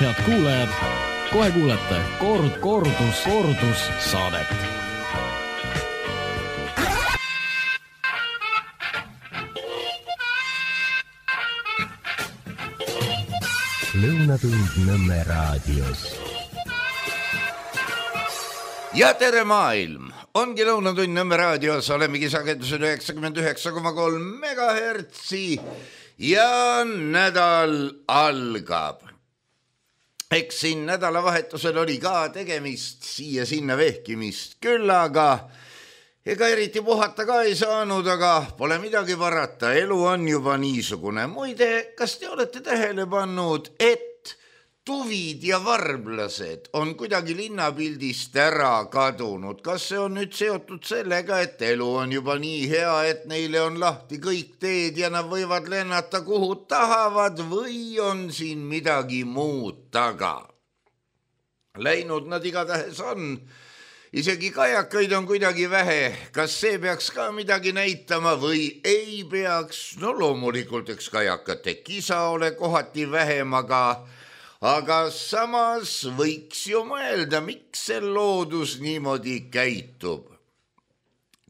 head kuulajad, kohe kuulete kordus saadet. Lõunatund Nõmme raadios. Ja tere maailm! Ongi Lõunatund Nõmme raadios, olemegi sagedusel 99,3 megahertsi ja nädal algab. Eks siin nädalavahetusel oli ka tegemist, siia-sinna vehkimist küll, aga ega eriti puhata ka ei saanud, aga pole midagi varata, elu on juba niisugune. Muide, kas te olete tähele pannud, et tuvid ja varblased on kuidagi linnapildist ära kadunud? Kas see on nüüd seotud sellega, et elu on juba nii hea, et neile on lahti kõik teed ja nad võivad lennata kuhu tahavad või on siin midagi muud taga? Läinud nad igatahes on. Isegi kajakaid on kuidagi vähe. Kas see peaks ka midagi näitama või ei peaks? No loomulikult, eks kajakate kisa ole kohati vähem, aga samas võiks ju mõelda, miks see loodus niimoodi käitub.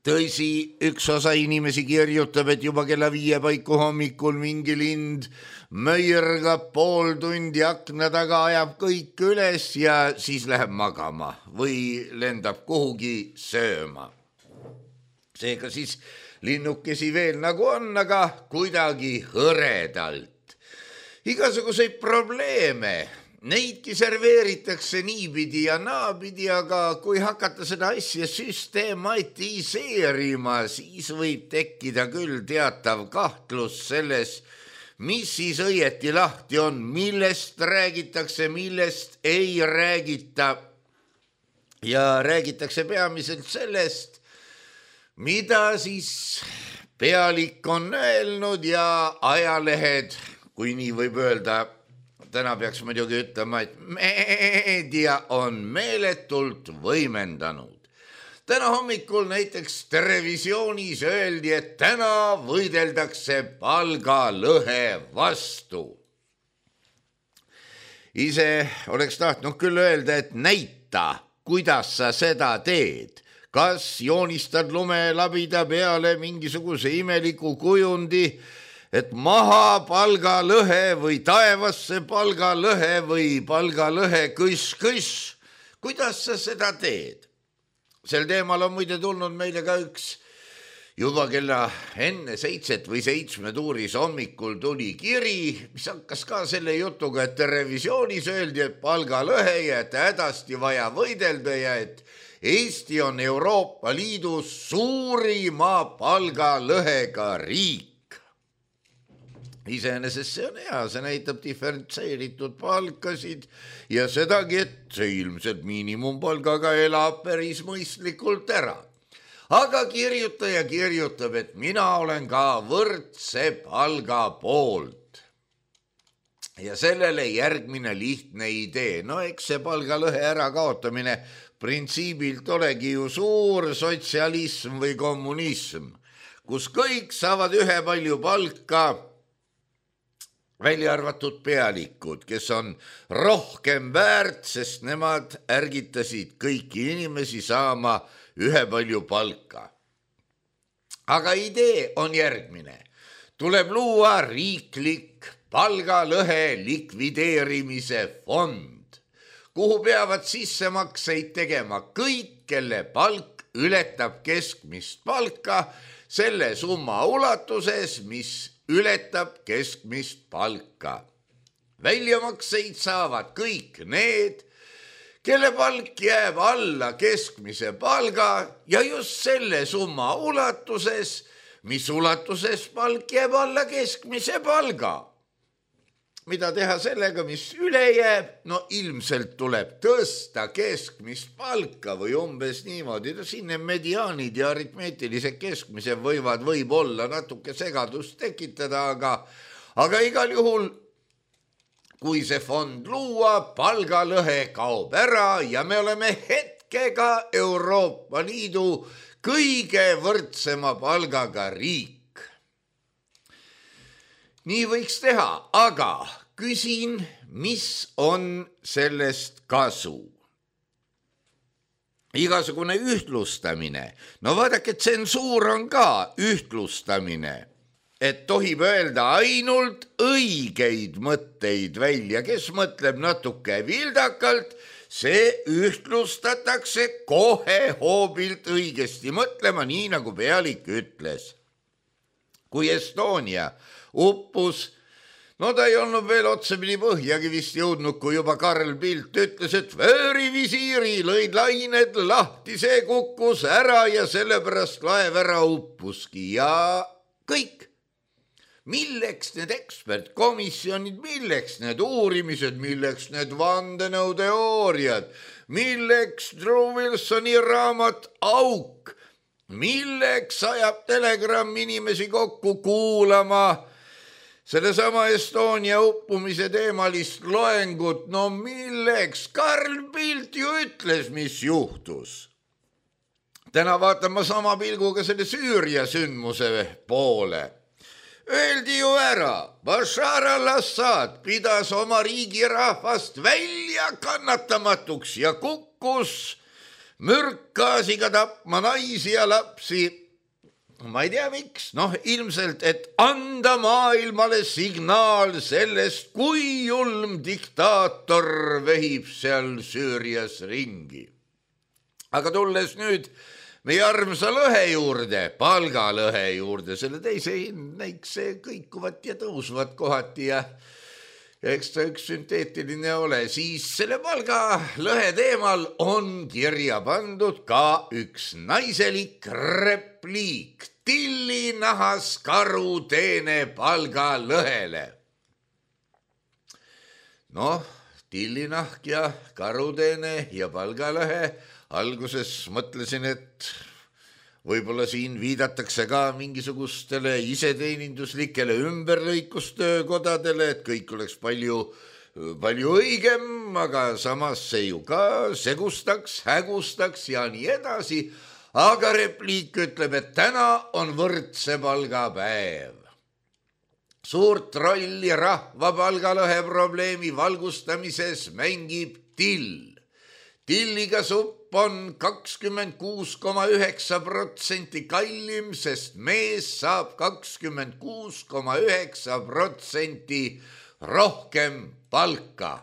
Tõsi, üks osa inimesi kirjutab, et juba kella 5 paiku hommikul mingi lind möirgab pool tundi akna taga, ajab kõik üles ja siis läheb magama või lendab kuhugi sööma. Seega siis linnukesi veel nagu on, aga kuidagi hõredalt. Igasuguseid probleeme, neidki serveeritakse niipidi ja naapidi, aga kui hakata seda asja süstematiseerima, siis võib tekkida küll teatav kahtlus selles, mis siis õieti lahti on, millest räägitakse, millest ei räägita. Ja räägitakse peamiselt sellest, mida siis pealik on öelnud ja ajalehed, kui nii võib öelda, täna peaks muidugi ütlema, et meedia on meeletult võimendanud. Täna hommikul näiteks televisioonis öeldi, et täna võideldakse palgalõhe vastu. Ise oleks tahtnud küll öelda, et näita, kuidas sa seda teed. Kas joonistad lumelabida peale mingisuguse imeliku kujundi, et maha palgalõhe või taevasse palgalõhe või palgalõhe kõss. Kuidas sa seda teed? Sel teemal on muide tulnud meile ka üks juba kella enne 7 või 7 tuuris hommikul tuli kiri, mis hakkas ka selle jutuga, et televisioonis öeldi, et palgalõhe ja et hädasti vaja võidelda ja et Eesti on Euroopa Liidus suurima palgalõhega riik. Iseenesest see on hea, see näitab diferentseeritud palkasid ja sedagi, et see ilmselt miinimumpalgaga elab päris mõistlikult ära. Aga kirjutaja kirjutab, et mina olen ka võrdse palga poolt. Ja sellele järgmine lihtne idee. No eks see palgalõhe ära kaotamine printsiibilt olegi ju suur sotsialism või kommunism, kus kõik saavad ühepalju palka, välja arvatud pealikud, kes on rohkem väärt, sest nemad ärgitasid kõiki inimesi saama ühepalju palka. Aga idee on järgmine. Tuleb luua riiklik palgalõhe likvideerimise fond, kuhu peavad sissemakseid tegema kõik, kelle palk ületab keskmist palka selle summa ulatuses, mis ületab keskmist palka. Väljamakseid saavad kõik need, kelle palk jääb alla keskmise palga ja just selle summa ulatuses, mis ulatuses palk jääb alla keskmise palga. Mida teha sellega, mis üle jääb? No ilmselt tuleb tõsta keskmist palka või umbes niimoodi. Siin mediaanid ja aritmeetilised keskmise võib-olla natuke segadust tekitada, aga igal juhul, kui see fond luua, palgalõhe kaob ära ja me oleme hetkega Euroopa Liidu kõige võrdsema palgaga riik. Nii võiks teha, aga küsin, mis on sellest kasu? Igasugune ühtlustamine. No vaadake, tsensuur on ka ühtlustamine, et tohib öelda ainult õigeid mõtteid välja. Kes mõtleb natuke vildakalt, see ühtlustatakse kohe hoobilt õigesti mõtlema, nii nagu pealik ütles. Kui Estonia uppus, no ta ei olnud veel otsapidi põhjagi vist jõudnud, kui juba Karl Bildt ütles, et vöörivisiiri lõid lained lahti, see kukkus ära ja sellepärast laev ära uppuski ja kõik. Milleks need ekspertkomisjonid, milleks need uurimised, milleks need vandenõuteooriad, milleks Drew Wilsoni raamat Auk, milleks ajab Telegram inimesi kokku kuulama sellesama Estonia uppumise teemalist loengut? No milleks? Karl Bildt ju ütles, mis juhtus. Täna vaatan ma sama pilguga selle Süüria sündmuse poole. Öeldi ju ära, Bashar al-Assad pidas oma riigi rahvast välja kannatamatuks ja kukkus mürkgaasiga tapma naisi ja lapsi. Ma ei tea miks, ilmselt, et anda maailmale signaal sellest, kui julm diktaator vehib seal Süürias ringi. Aga tulles nüüd meie armsa lõhe juurde, palgalõhe juurde, selle teise näikse kõikuvat ja tõusvat kohati ja eks ta üks sünteetiline ole, siis selle palgalõhe teemal on kirja pandud ka üks naiselik repliik. Tillinahas karuteene palgalõhele. Tillinahk ja karuteene ja palgalõhe. Alguses mõtlesin, et võib-olla siin viidatakse ka mingisugustele iseteeninduslikele ümberlõikustöökodadele, et kõik oleks palju õigem, aga samas see ju ka segustaks, hägustaks ja nii edasi. Aga repliik ütleb, et täna on võrdse palgapäev. Suurt rolli rahva palgalõhe probleemi valgustamises mängib till. Tilliga supp on 26,9% kallim, sest mees saab 26,9% rohkem palka.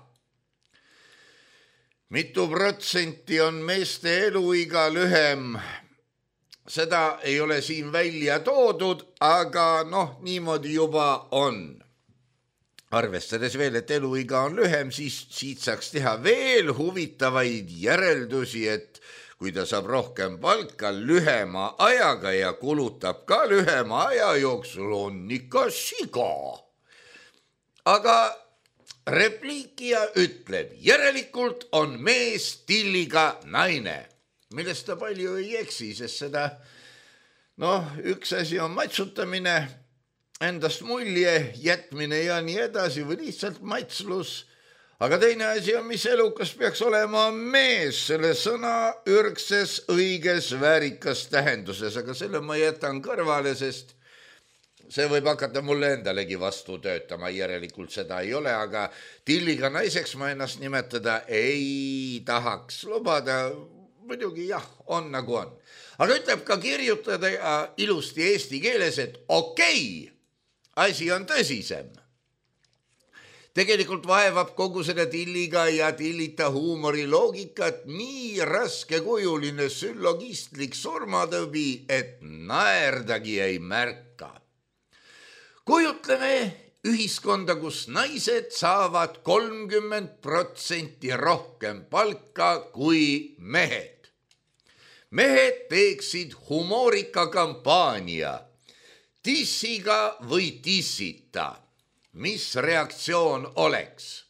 Mitu protsenti on meeste eluiga lühem? Seda ei ole siin välja toodud, aga niimoodi juba on. Arvestades veel, et eluiga on lühem, siis siit saaks teha veel huvitavaid järeldusi, et kui ta saab rohkem palka lühema ajaga ja kulutab ka lühema aja jooksul, on ikka siga. Aga repliikija ütleb, järelikult on mees tilliga naine, millest ta palju ei eksi, sest seda, üks asi on matsutamine, endast mulje jätmine ja nii edasi või lihtsalt matslus. Aga teine asi on, mis elukas peaks olema mees selle sõna ürgses, õiges, väärikas tähenduses, aga selle ma jätan kõrvale, sest see võib hakata mulle endalegi vastu töötama, järelikult seda ei ole, aga tilliga naiseks ma ennast nimetada ei tahaks lubada, muidugi jah, on nagu on. Aga ütleb ka kirjutada ilusti eesti keeles, et okei, asi on tõsisem. Tegelikult vaevab kogu selle tilliga ja tillita huumori loogikat nii raskekujuline süllogistlik surmatõbi, et naerdagi ei märka. Kujutleme ühiskonda, kus naised saavad 30% rohkem palka kui mehed. Mehed teeksid humoorika kampaania tissiga või tissita. Mis reaktsioon oleks?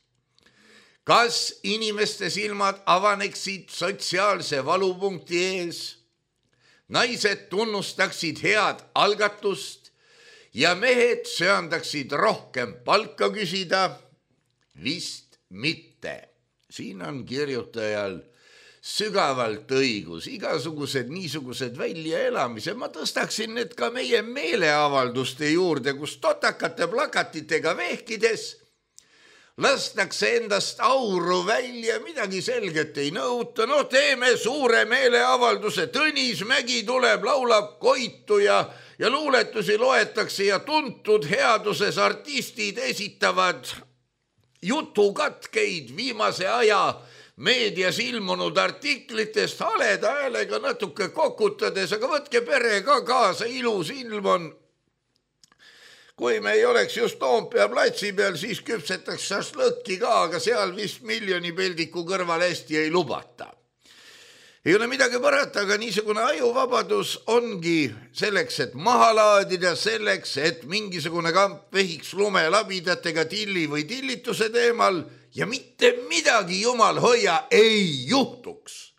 Kas inimeste silmad avaneksid sotsiaalse valupunkti ees? Naised tunnustaksid head algatust ja mehed söandaksid rohkem palka küsida? Vist mitte. Siin on kirjutajal sügavalt õigus, igasugused niisugused väljaelamised. Ma tõstaksin need ka meie meeleavalduste juurde, kus totakate plakatitega vehkides lastakse endast auru välja, midagi selget ei nõuta. No teeme suure meeleavalduse, Tõnis Mägi tuleb, laulab Koitu ja luuletusi loetakse ja tuntud headuses artistid esitavad jutukatkeid viimase aja meedias ilmunud artiklitest haleda häälega natuke kokutades, aga võtke pere ka kaasa, ilus ilm on. Kui me ei oleks just Toompea platsi peal, siis küpsetaks šašlõkki ka, aga seal vist miljoni peldiku kõrval hästi ei lubata. Ei ole midagi parata, aga niisugune ajuvabadus ongi selleks, et maha laadida, selleks, et mingisugune kamp vehiks lumelabidatega tilli või tillituse teemal ja mitte midagi, jumal hoia, ei juhtuks.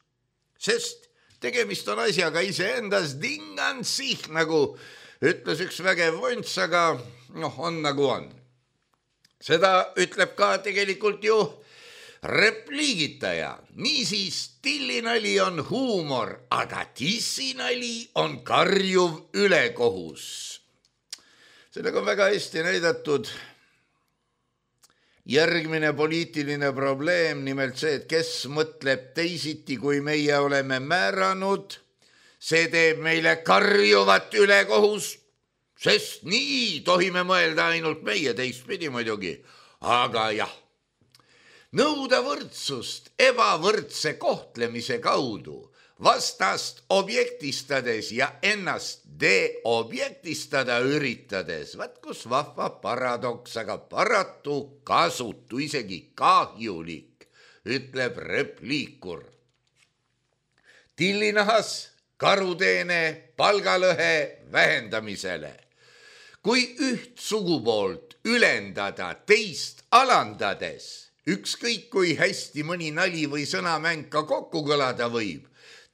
Sest tegemist on asjaga iseendas dingansih, nagu ütles üks vägev vonts, aga on nagu on. Seda ütleb ka tegelikult ju repliigitaja. Niisiis, tillinali on huumor, aga tissinali on karjuv ülekohus. Sellega on väga hästi näidatud järgmine poliitiline probleem, nimelt see, et kes mõtleb teisiti, kui meie oleme määranud. See teeb meile karjuvat ülekohust, sest nii tohime mõelda ainult meie, teistpidi muidugi. Aga jah, nõuda võrdsust ebavõrdse kohtlemise kaudu, vastast objektistades ja ennast deobjektistada üritades. Vaat kus vahva paradoks, aga paratu kasutu, isegi kahjulik, ütleb repliikur. Tillinahas karuteene palgalõhe vähendamisele. Kui üht sugupoolt ülendada teist alandades, ükskõik kui hästi mõni nali või sõnamäng ka kokku kõlada võib,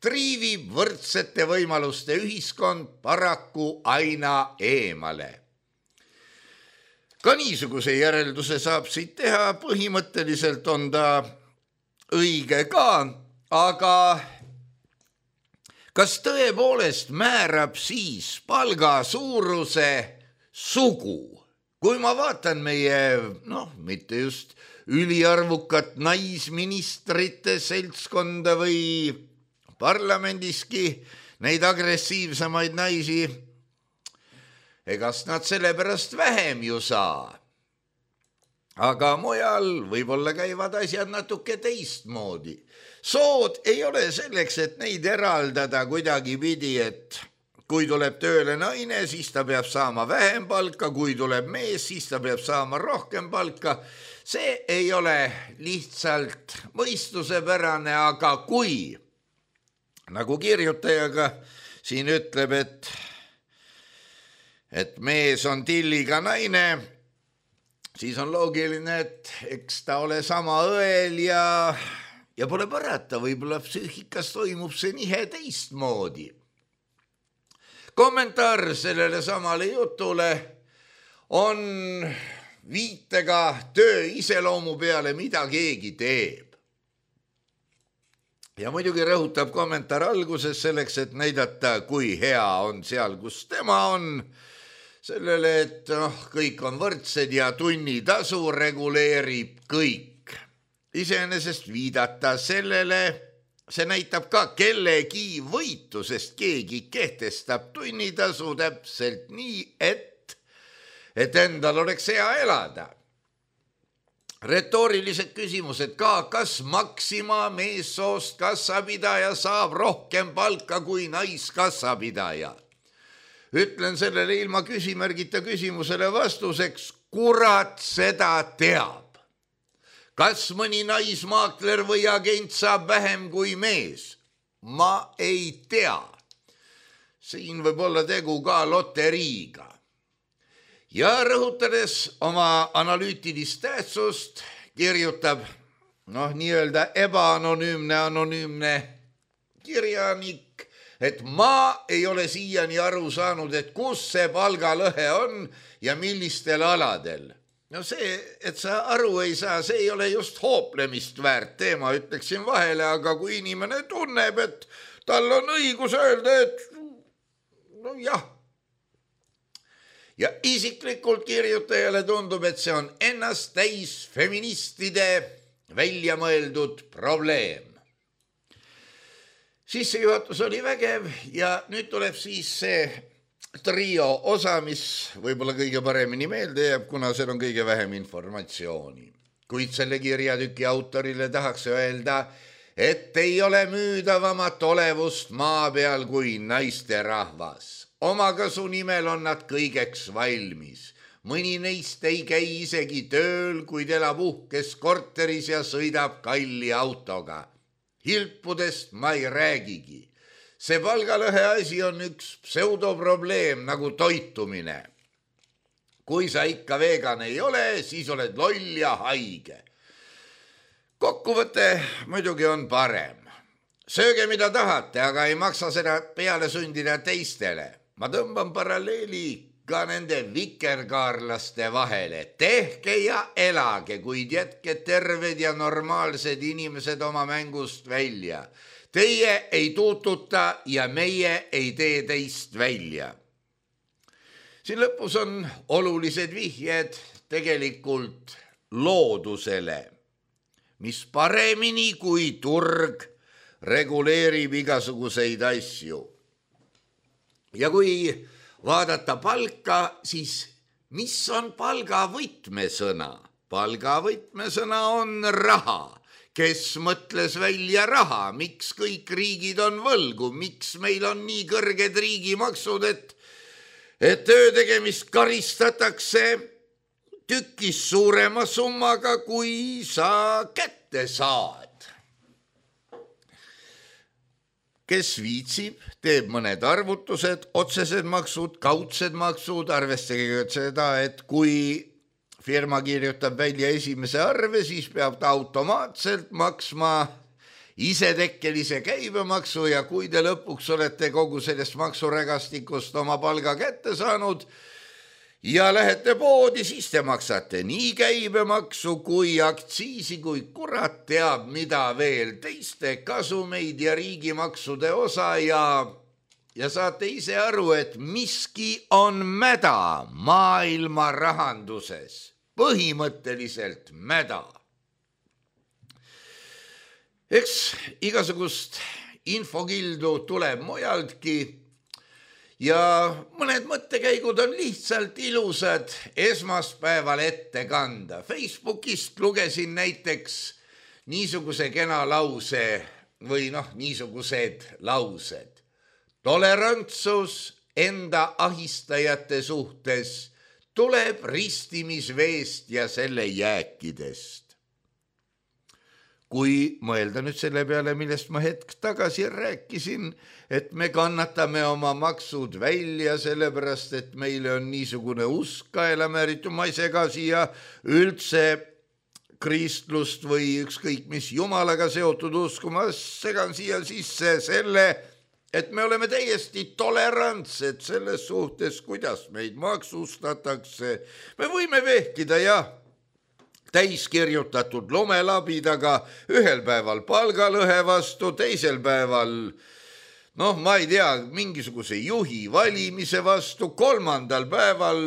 triivib võrdsete võimaluste ühiskond paraku aina eemale. Ka niisuguse järelduse saab siit teha, põhimõtteliselt on ta õige ka, aga kas tõepoolest määrab siis palga suuruse sugu? Kui ma vaatan meie, mitte just üliarvukat naisministrite seltskonda või parlamendiski neid agressiivsemaid naisi, egast nad sellepärast vähem ju saa. Aga mujal võib-olla käivad asjad natuke teistmoodi. Sood ei ole selleks, et neid eraldada kuidagi pidi, et kui tuleb tööle naine, siis ta peab saama vähem palka, kui tuleb mees, siis ta peab saama rohkem palka. See ei ole lihtsalt mõistusepärane, aga kui, nagu kirjutajaga siin ütleb, et mees on tilliga naine, siis on loogiline, et eks ta ole sama õel ja pole parata, võib-olla psüühikas toimub see nihe teistmoodi. Kommentaar sellele samale jutule on viitega töö iseloomu peale, mida keegi teeb. Ja muidugi rõhutab kommentaar alguses selleks, et näidata, kui hea on seal, kus tema on, sellele, et kõik on võrdsed ja tunnitasu reguleerib kõik. Iseenesest viidata sellele, see näitab ka kellegi võitu, sest keegi kehtestab tunnitasu täpselt nii, et endal oleks hea elada. Retoorilised küsimused ka, kas Maxima meessoost kassapidaja saab rohkem palka kui naiskassapidaja? Ütlen sellele ilma küsimärgita küsimusele vastuseks, kurat seda teab. Kas mõni naismaakler või agent saab vähem kui mees? Ma ei tea. Siin võib olla tegu ka loteriiga. Ja rõhutades oma analüütilist tähtsust, kirjutab nii-öelda ebaanonüümne kirjanik, et ma ei ole siiani aru saanud, et kus see palgalõhe on ja millistel aladel. See, et sa aru ei saa, see ei ole just hooplemist väärt teema, ütleksin vahele, aga kui inimene tunneb, et tal on õigus öelda, et jah. ja isiklikult kirjutajale tundub, et see on ennast täis feministide välja mõeldud probleem. Sissejuhatus oli vägev ja nüüd tuleb siis see trio osa, mis võib-olla kõige paremini meelde jääb, kuna seal on kõige vähem informatsiooni. Kuid selle kirjatüki autorile tahaks öelda, et ei ole müüdavamat olevust maa peal kui naisterahvas. Omakasu nimel on nad kõigeks valmis. Mõni neist ei käi isegi tööl, kuid elab uhkes korteris ja sõidab kalli autoga. Hilpudest ma ei räägigi. See palgalõhe asi on üks pseudoprobleem nagu toitumine. Kui sa ikka vegan ei ole, siis oled loll ja haige. Kokkuvõte muidugi on parem. Sööge mida tahate, aga ei maksa seda peale sundida teistele. Ma tõmban paralleeli ka nende vikerkaarlaste vahele. Tehke ja elage, kuid jätke terved ja normaalsed inimesed oma mängust välja. Teie ei tuututa ja meie ei tee teist välja. Siin lõpus on olulised vihjed tegelikult loodusele, mis paremini kui turg reguleerib igasuguseid asju. Ja kui vaadata palka, siis mis on palga võtmesõna? Palga võtmesõna on raha. Kes mõtles välja raha? Miks kõik riigid on võlgu? Miks meil on nii kõrged riigimaksud, et töö tegemist karistatakse tükis suurema summaga, kui sa kätte saad? Kes viitsib, teeb mõned arvutused, otsesed maksud, kaudsed maksud, arvestage seda, et kui firma kirjutab välja esimese arve, siis peab ta automaatselt maksma isetekkelise käibemaksu ja kui te lõpuks olete kogu sellest maksurägastikust oma palga kätte saanud ja lähete poodi, siis te maksate nii käibemaksu kui aktsiisi, kui kurat teab mida veel, teiste kasumeid ja riigimaksude osa ja saate ise aru, et miski on mäda maailma rahanduses, põhimõtteliselt mäda. Eks igasugust infokildu tuleb mujaltki ja mõned mõttekäigud on lihtsalt ilusad esmaspäeval ette kanda. Facebookist lugesin näiteks niisuguse kena lause või niisugused laused. Tolerantsus enda ahistajate suhtes tuleb ristimisveest ja selle jääkidest. Kui mõelda nüüd selle peale, millest ma hetk tagasi rääkisin, et me kannatame oma maksud välja sellepärast, et meile on niisugune usk kaela määritud, ma ei sega siia üldse kristlust või ükskõik mis jumalaga seotud usku, ma segan siia sisse selle, et me oleme täiesti tolerantsed selles suhtes, kuidas meid maksustatakse. Me võime vehkida täiskirjutatud lumelabidaga, ühel päeval palgalõhe vastu, teisel päeval, ma ei tea, mingisuguse juhi valimise vastu, kolmandal päeval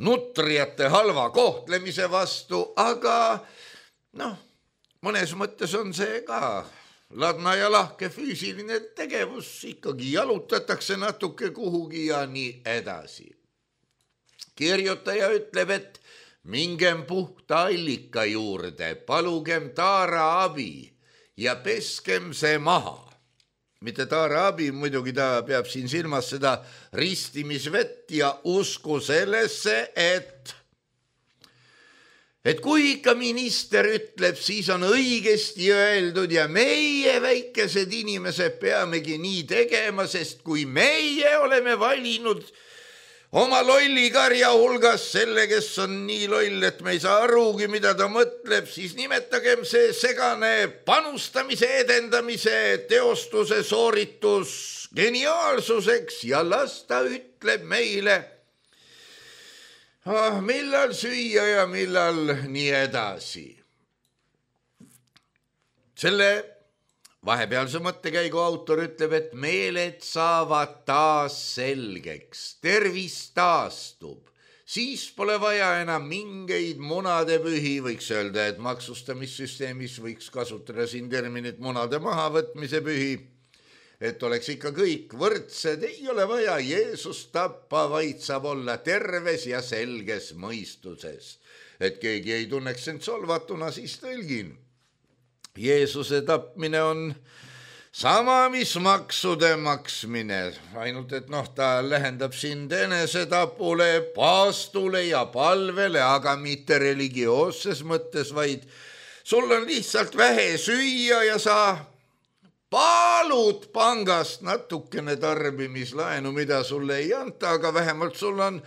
nutrijate halva kohtlemise vastu, aga mõnes mõttes on see ka ladna ja lahke füüsiline tegevus, ikkagi jalutatakse natuke kuhugi ja nii edasi. Kirjutaja ütleb, et mingem puhta allika juurde, palugem taara abi ja peskem see maha. Mitte taara abi, muidugi ta peab siin silmas seda ristimisvett ja usku sellesse, et kui ikka minister ütleb, siis on õigesti öeldud ja meie väikesed inimesed peamegi nii tegema, sest kui meie oleme valinud oma lollikarja hulgas selle, kes on nii loll, et me ei saa arugi, mida ta mõtleb, siis nimetagem see segane panustamise, edendamise, teostuse sooritus geniaalsuseks ja las ta ütleb meile, millal süüa ja millal nii edasi. Selle vahepealse mõttekäigu autor ütleb, et meeled saavad taas selgeks, tervis taastub, siis pole vaja enam mingeid munadepühi, võiks öelda, et maksustamissüsteemis võiks kasutada siin terminit munade mahavõtmise pühi, et oleks ikka kõik võrdsed, ei ole vaja Jeesust tappa, vaid saab olla terves ja selges mõistuses. Et keegi ei tunneks end solvatuna, siis tõlgin. Jeesuse tapmine on sama, mis maksude maksmine, ainult et ta lähendab sind enesetapule, paastule ja palvele, aga mitte religioosses mõttes, vaid sul on lihtsalt vähe süüa ja sa palud pangast natukene tarbimislaenu, mida sulle ei anta, aga vähemalt sul on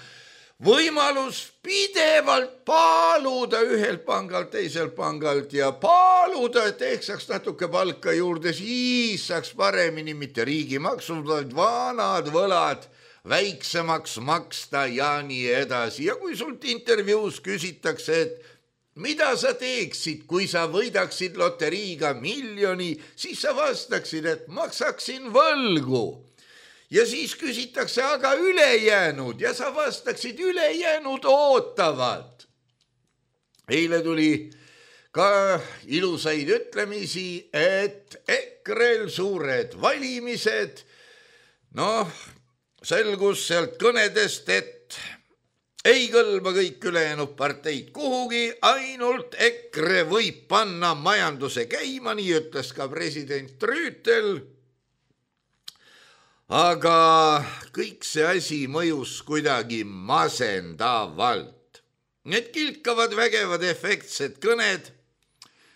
võimalus pidevalt paluda ühelt pangalt, teiselt pangalt ja paluda, et ehk saaks natuke palka juurde, siis saaks paremini mitte riigimaksud, vaid vanad võlad väiksemaks maksta ja nii edasi. Ja kui sult intervjuus küsitakse, et mida sa teeksid, kui sa võidaksid loteriiga miljoni, siis sa vastaksid, et maksaksin võlgu. Ja siis küsitakse, aga ülejäänud ja sa vastaksid, ülejäänud ootavad. Eile tuli ka ilusaid ütlemisi, et EKRE-l suured valimised. Selgus sealt kõnedest, et ei kõlba kõik ülejäänud parteid kuhugi, ainult EKRE võib panna majanduse käima, nii ütles ka president Rüütel. Aga kõik see asi mõjus kuidagi masendavalt. Need kilkavad, vägevad, efektsed kõned,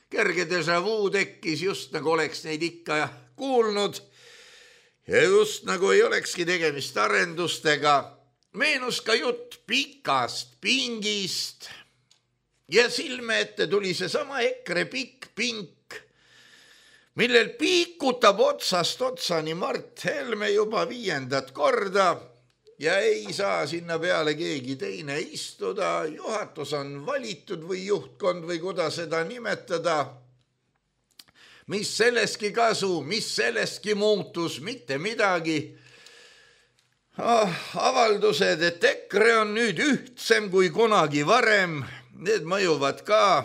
kerge déjà vu tekkis, just nagu oleks neid ikka kuulnud ja just nagu ei olekski tegemist arendustega. Meenus ka jutt pikast pingist ja silme ette tuli seesama EKRE pikk pink, millel piikutab otsast otsani Mart Helme juba 5. korda ja ei saa sinna peale keegi teine istuda. Juhatus on valitud või juhtkond või kuidas seda nimetada. Mis sellestki kasu, mis sellestki muutus, mitte midagi. Avaldused, et EKRE on nüüd ühtsem kui kunagi varem, need mõjuvad ka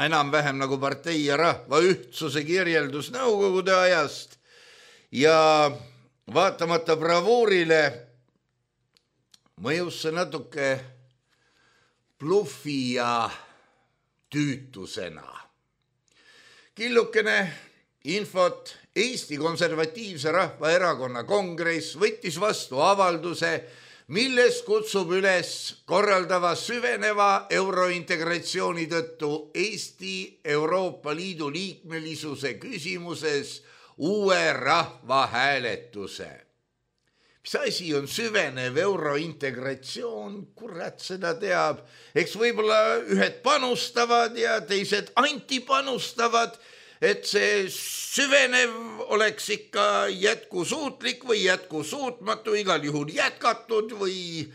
enam-vähem nagu partei ja rahva ühtsuse kirjeldus nõukogude ajast ja vaatamata bravuurile mõjus see natuke bluffi ja tüütusena. Killukene infot. Eesti Konservatiivse Rahvaerakonna kongress võttis vastu avalduse, milles kutsub üles korraldava süveneva eurointegratsiooni tõttu Eesti Euroopa Liidu liikmelisuse küsimuses uue rahvahääletuse. Mis asi on süvenev eurointegratsioon? Kurat seda teab. Eks võib-olla ühed panustavad ja teised antipanustavad, et see süvenev oleks ikka jätkusuutlik või jätkusuutmatu, igal juhul jätkatud või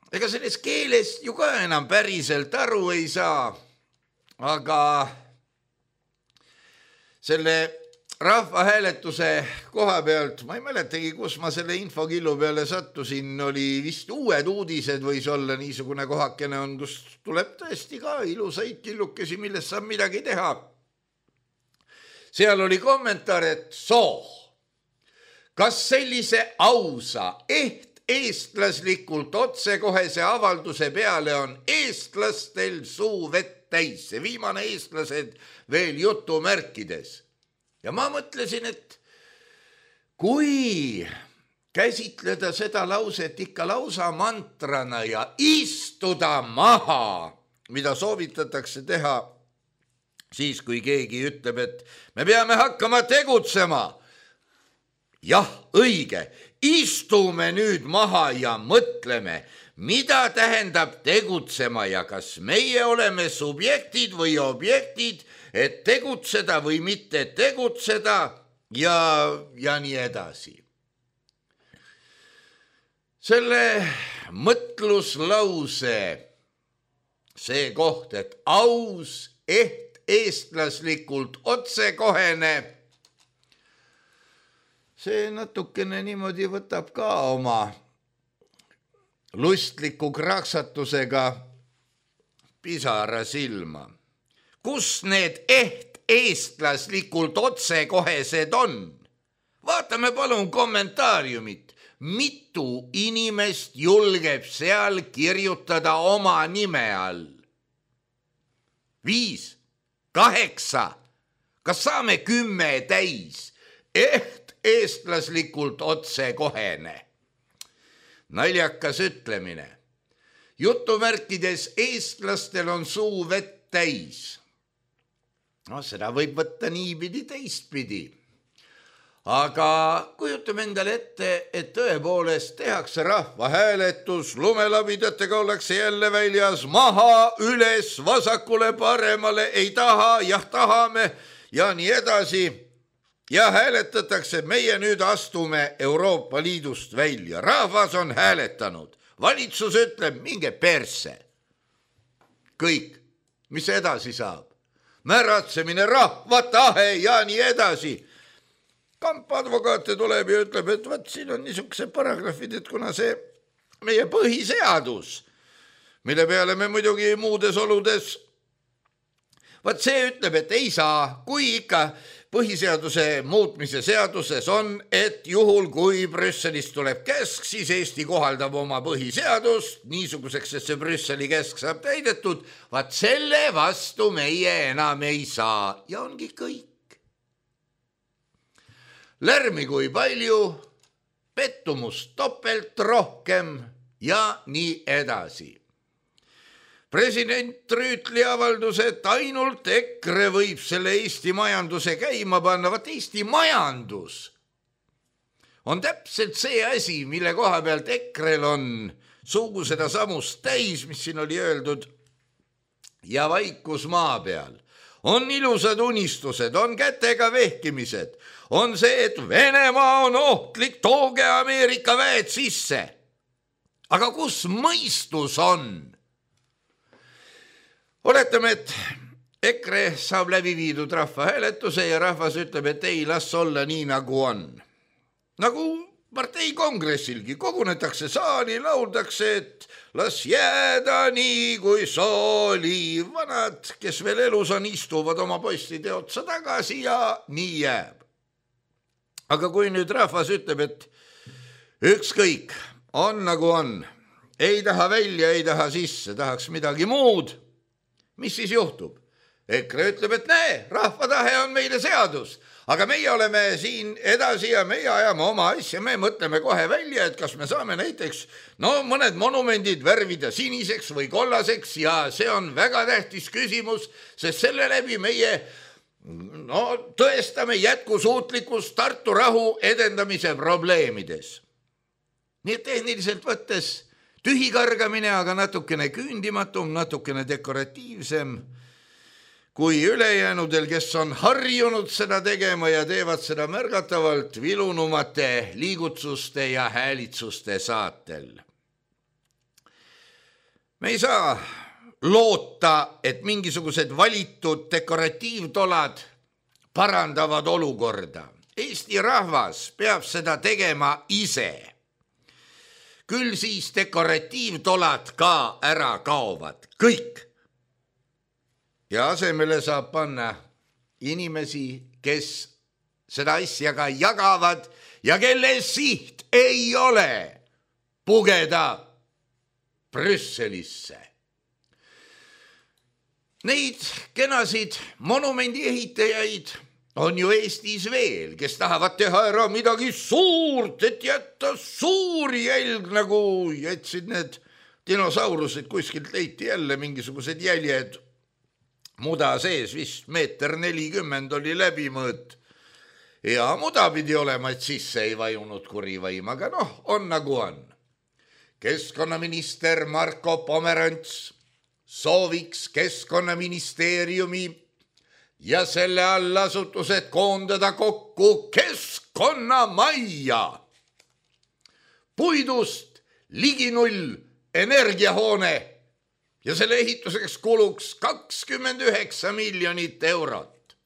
ega selles keeles ju ka enam päriselt aru ei saa. Aga selle rahvahääletuse koha pealt, ma ei mäletagi, kus ma selle infokillu peale sattusin, oli vist Uued Uudised võis olla niisugune kohakene on, kus tuleb tõesti ka ilusaid killukesi, millest saab midagi teha. Seal oli kommentaar, et kas sellise ausa, eestlaslikult otsekohese avalduse peale on eestlastel suu vett täis, see viimane eestlased veel jutumärkides. Ja ma mõtlesin, et kui käsitleda seda lauset ikka lausa mantrana ja istuda maha, mida soovitatakse teha siis, kui keegi ütleb, et me peame hakkama tegutsema. Jah, õige, istume nüüd maha ja mõtleme, mida tähendab tegutsema ja kas meie oleme subjektid või objektid, et tegutseda või mitte tegutseda ja nii edasi. Selle mõtluslause, see koht, et aus, eestlaslikult otsekohene. See natukene niimoodi võtab ka oma lustliku kraksatusega pisara silma. Kus need eestlaslikult otsekohesed on? Vaatame palun kommentaariumit. Mitu inimest julgeb seal kirjutada oma nime all? 5, 8, kas saame 10 täis? Eestlaslikult otsekohene. Naljakas ütlemine. Jutumärkides eestlastel on suu vett täis. No seda võib võtta niipidi teistpidi. Aga kujutame endale ette, et tõepoolest tehakse rahvahääletus, lumelabidetega ollakse jälle väljas, maha, üles, vasakule, paremale, ei taha, jah tahame ja nii edasi. Ja hääletatakse, meie nüüd astume Euroopa Liidust välja. Rahvas on hääletanud. Valitsus ütleb, minge perse. Kõik, mis edasi saab? Määratsemine, rahva tahe ja nii edasi. Kampadvokaate tuleb ja ütleb, et vaat siin on niisugused paragrahvid, et kuna see meie põhiseadus, mille peale me muidugi muudes oludes, vaat see ütleb, et ei saa, kui ikka põhiseaduse muutmise seaduses on, et juhul kui Brüsselist tuleb käsk, siis Eesti kohaldab oma põhiseadust niisuguseks, et see Brüsseli käsk saab täidetud, vaat selle vastu meie enam ei saa ja ongi kõik. Lärmi kui palju, pettumust topelt rohkem ja nii edasi. President Rüütli avaldus, et ainult EKRE võib selle Eesti majanduse käima panna. Vaat Eesti majandus on täpselt see asi, mille koha pealt EKRE-l on sugu seda samust täis, mis siin oli öeldud, ja vaikus maa peal. On ilusad unistused, on kätega vehkimised, on see, et Venemaa on ohtlik, tooge Ameerika väed sisse. Aga kus mõistus on? Oletame, et EKRE saab läbi viidud rahvahääletuse ja rahvas ütleb, et ei, las olla nii, nagu on. Nagu partei kongressilgi kogunetakse saali, lauldakse, et las jääda nii, kui sooli. Vanad, kes veel elus on, istuvad oma postide otsa tagasi ja nii jääb. Aga kui nüüd rahvas ütleb, et ükskõik, on nagu on, ei taha välja, ei taha sisse, tahaks midagi muud, mis siis juhtub? EKRE ütleb, et näe, rahva tahe on meile seadus, aga meie oleme siin edasi ja meie ajame oma asja, me mõtleme kohe välja, et kas me saame näiteks mõned monumendid värvida siniseks või kollaseks ja see on väga tähtis küsimus, sest selle läbi meie tõestame jätkusuutlikkust Tartu rahu edendamise probleemides. Nii et tehniliselt võttes tühikargamine, aga natukene küündimatum, natukene dekoratiivsem kui ülejäänudel, kes on harjunud seda tegema ja teevad seda märgatavalt vilunumate liigutsuste ja häälitsuste saatel. Me ei saa loota, et mingisugused valitud dekoratiivtolad parandavad olukorda. Eesti rahvas peab seda tegema ise. Küll siis dekoratiivtolad ka ära kaovad, kõik. Ja asemele saab panna inimesi, kes seda asja ka jagavad ja kelle siht ei ole pugeda Brüsselisse. Neid kenasid monumendi ehitajaid on ju Eestis veel, kes tahavad teha ära midagi suurt, et jätta suur jälg, nagu jätsid need dinosaurused, kuskilt leiti jälle mingisugused jäljed muda sees, vist 1,40 m oli läbimõõt. Ja muda pidi olema, et sisse ei vajunud kuri vaim, aga on nagu on. Keskkonnaminister Marko Pomerants sooviks Keskkonnaministeeriumi ja selle allasutused koondada kokku Keskkonnamajja. Puidust ligi 0 energiahoone ja selle ehituseks kuluks 29 miljonit eurot.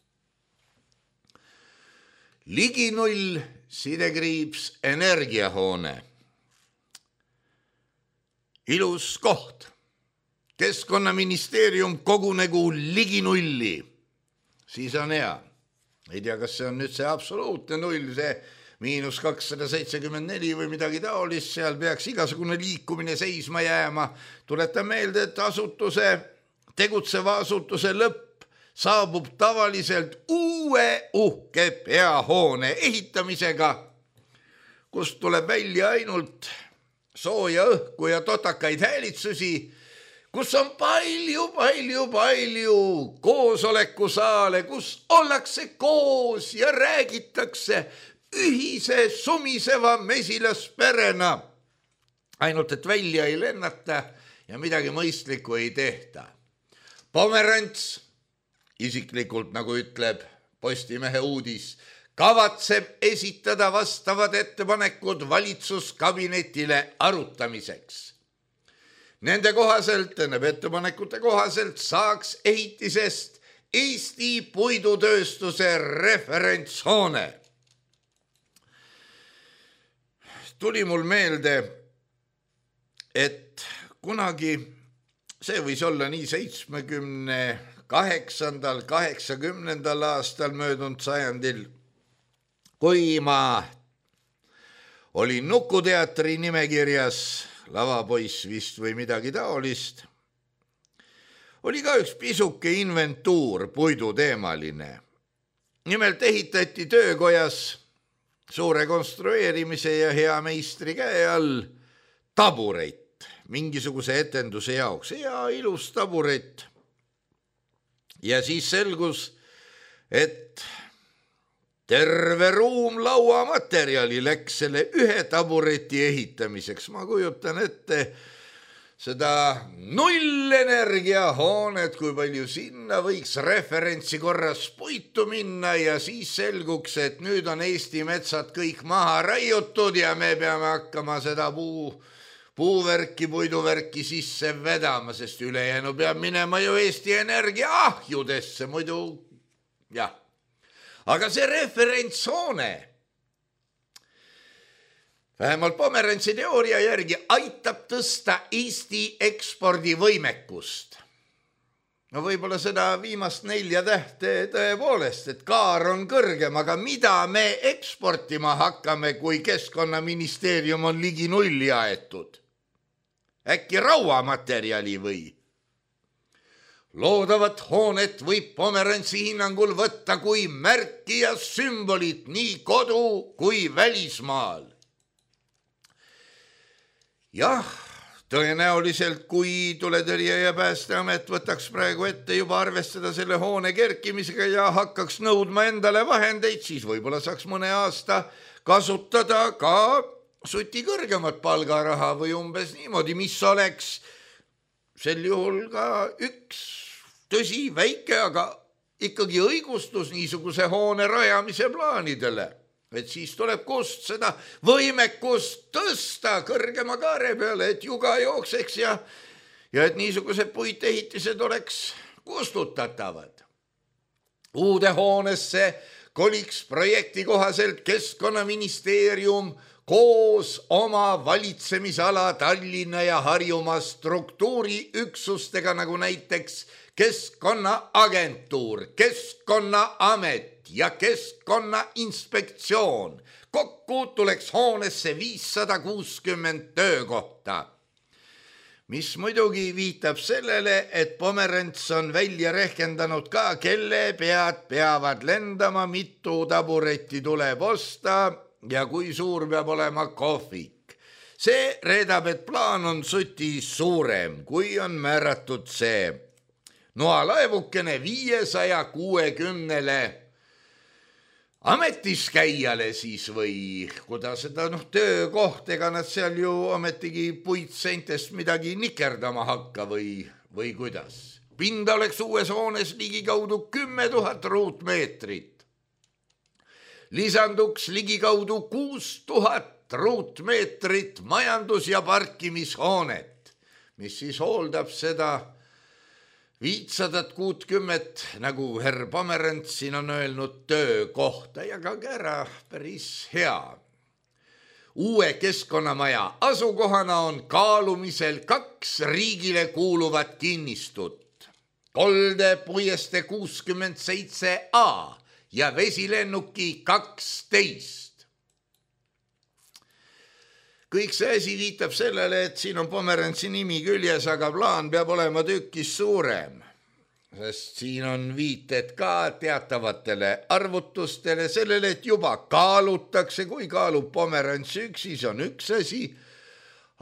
Ligi 0 sidekriips energiahoone. Ilus koht. Keskkonnaministeerium kogunegu ligi 0. Siis on hea. Ei tea, kas see on nüüd see absoluutne 0, see -274 või midagi taolist, seal peaks igasugune liikumine seisma jääma. Tuletan meelde, et tegutseva asutuse lõpp saabub tavaliselt uue uhke peahoone ehitamisega, kust tuleb välja ainult sooja õhku ja totakaid häälitsusi, kus on palju koosolekusaale, kus ollakse koos ja räägitakse ühise sumiseva mesilasperena. Ainult, et välja ei lennata ja midagi mõistlikku ei tehta. Pomerants, isiklikult nagu ütleb Postimehe uudis, kavatseb esitada vastavad ettepanekud valitsuskabinetile arutamiseks. Nende ettepanekute kohaselt saaks ehitisest Eesti puidutööstuse referentshoone. Tuli mul meelde, et kunagi, see võis olla nii 78. 80. aastal möödunud sajandil, kui ma olin Nukuteatri nimekirjas, lavapoiss vist või midagi taolist, oli ka üks pisuke inventuur puiduteemaline. Nimelt ehitati töökojas suure konstrueerimise ja hea meistri käe all tabureit mingisuguse etenduse jaoks. Hea ilus tabureit. Ja siis selgus, et terve ruum lauamaterjali läks selle ühe tabureti ehitamiseks. Ma kujutan ette seda nullenergiahoonet, kui palju sinna võiks referentsi korras puitu minna ja siis selguks, et nüüd on Eesti metsad kõik maha raiutud ja me peame hakkama seda puuvärki, puiduvärki sisse vedama, sest ülejäänu peab minema ju Eesti Energia ahjudesse, muidu jah. Aga see referentshoone vähemalt Pomerantsi teooria järgi aitab tõsta Eesti ekspordivõimekust. No võib-olla seda viimast 4 tähte tõepoolest, et kaar on kõrgem, aga mida me eksportima hakkame, kui Keskkonnaministeerium on ligi 0 aetud? Äkki rauamaterjali või? Loodavat hoonet võib Pomerantsi hinnangul võtta kui märki ja sümbolit nii kodu kui välismaal. Jah, tõenäoliselt, kui Tuletõrje ja Päästeamet võtaks praegu ette juba arvestada selle hoone kerkimisega ja hakkaks nõudma endale vahendeid, siis võib-olla saaks mõne aasta kasutada ka suti kõrgemat palgaraha või umbes niimoodi, mis oleks sel juhul ka üks, tõsi, väike, aga ikkagi õigustus niisuguse hoone rajamise plaanidele. Et siis tuleb kust seda võimekust tõsta kõrgema kaare peale, et juga jookseks ja et niisugused puitehitised oleks kustutatavad. Uude hoonesse koliks projekti kohaselt Keskkonnaministeerium koos oma valitsemisala Tallinna ja Harjumaa struktuuriüksustega, nagu näiteks Keskkonnaagentuur, Keskkonnaamet ja Keskkonnainspektsioon. Kokku tuleks hoonesse 560 töökohta, mis muidugi viitab sellele, et Pomerants on välja rehkendanud ka, kelle pead peavad lendama, mitu taburetti tuleb osta ja kui suur peab olema kohvik. See reedab, et plaan on suti suurem, kui on määratud see noalaevukene 560 ametiskäijale siis või kuidas seda töökoht, ega nad seal ju ametigi puitseintest midagi nikerdama hakka või kuidas. Pinda oleks uues hoones ligikaudu 10 000 ruutmeetrit. Lisanduks ligikaudu 6 000 ruutmeetrit majandus- ja parkimishoonet, mis siis hooldab seda 560, nagu herr Pomerants siin on öelnud, töökohta ja ka ära päris hea. Uue keskkonnamaja asukohana on kaalumisel 2 riigile kuuluvat kinnistut. Kolde puieste 67A ja vesilennuki 12. Kõik see asi viitab sellele, et siin on Pomerantsi nimi küljes, aga plaan peab olema tükis suurem, sest siin on viited ka teatavatele arvutustele, sellele, et juba kaalutakse, kui kaalub Pomerants üksi, see on üks asi,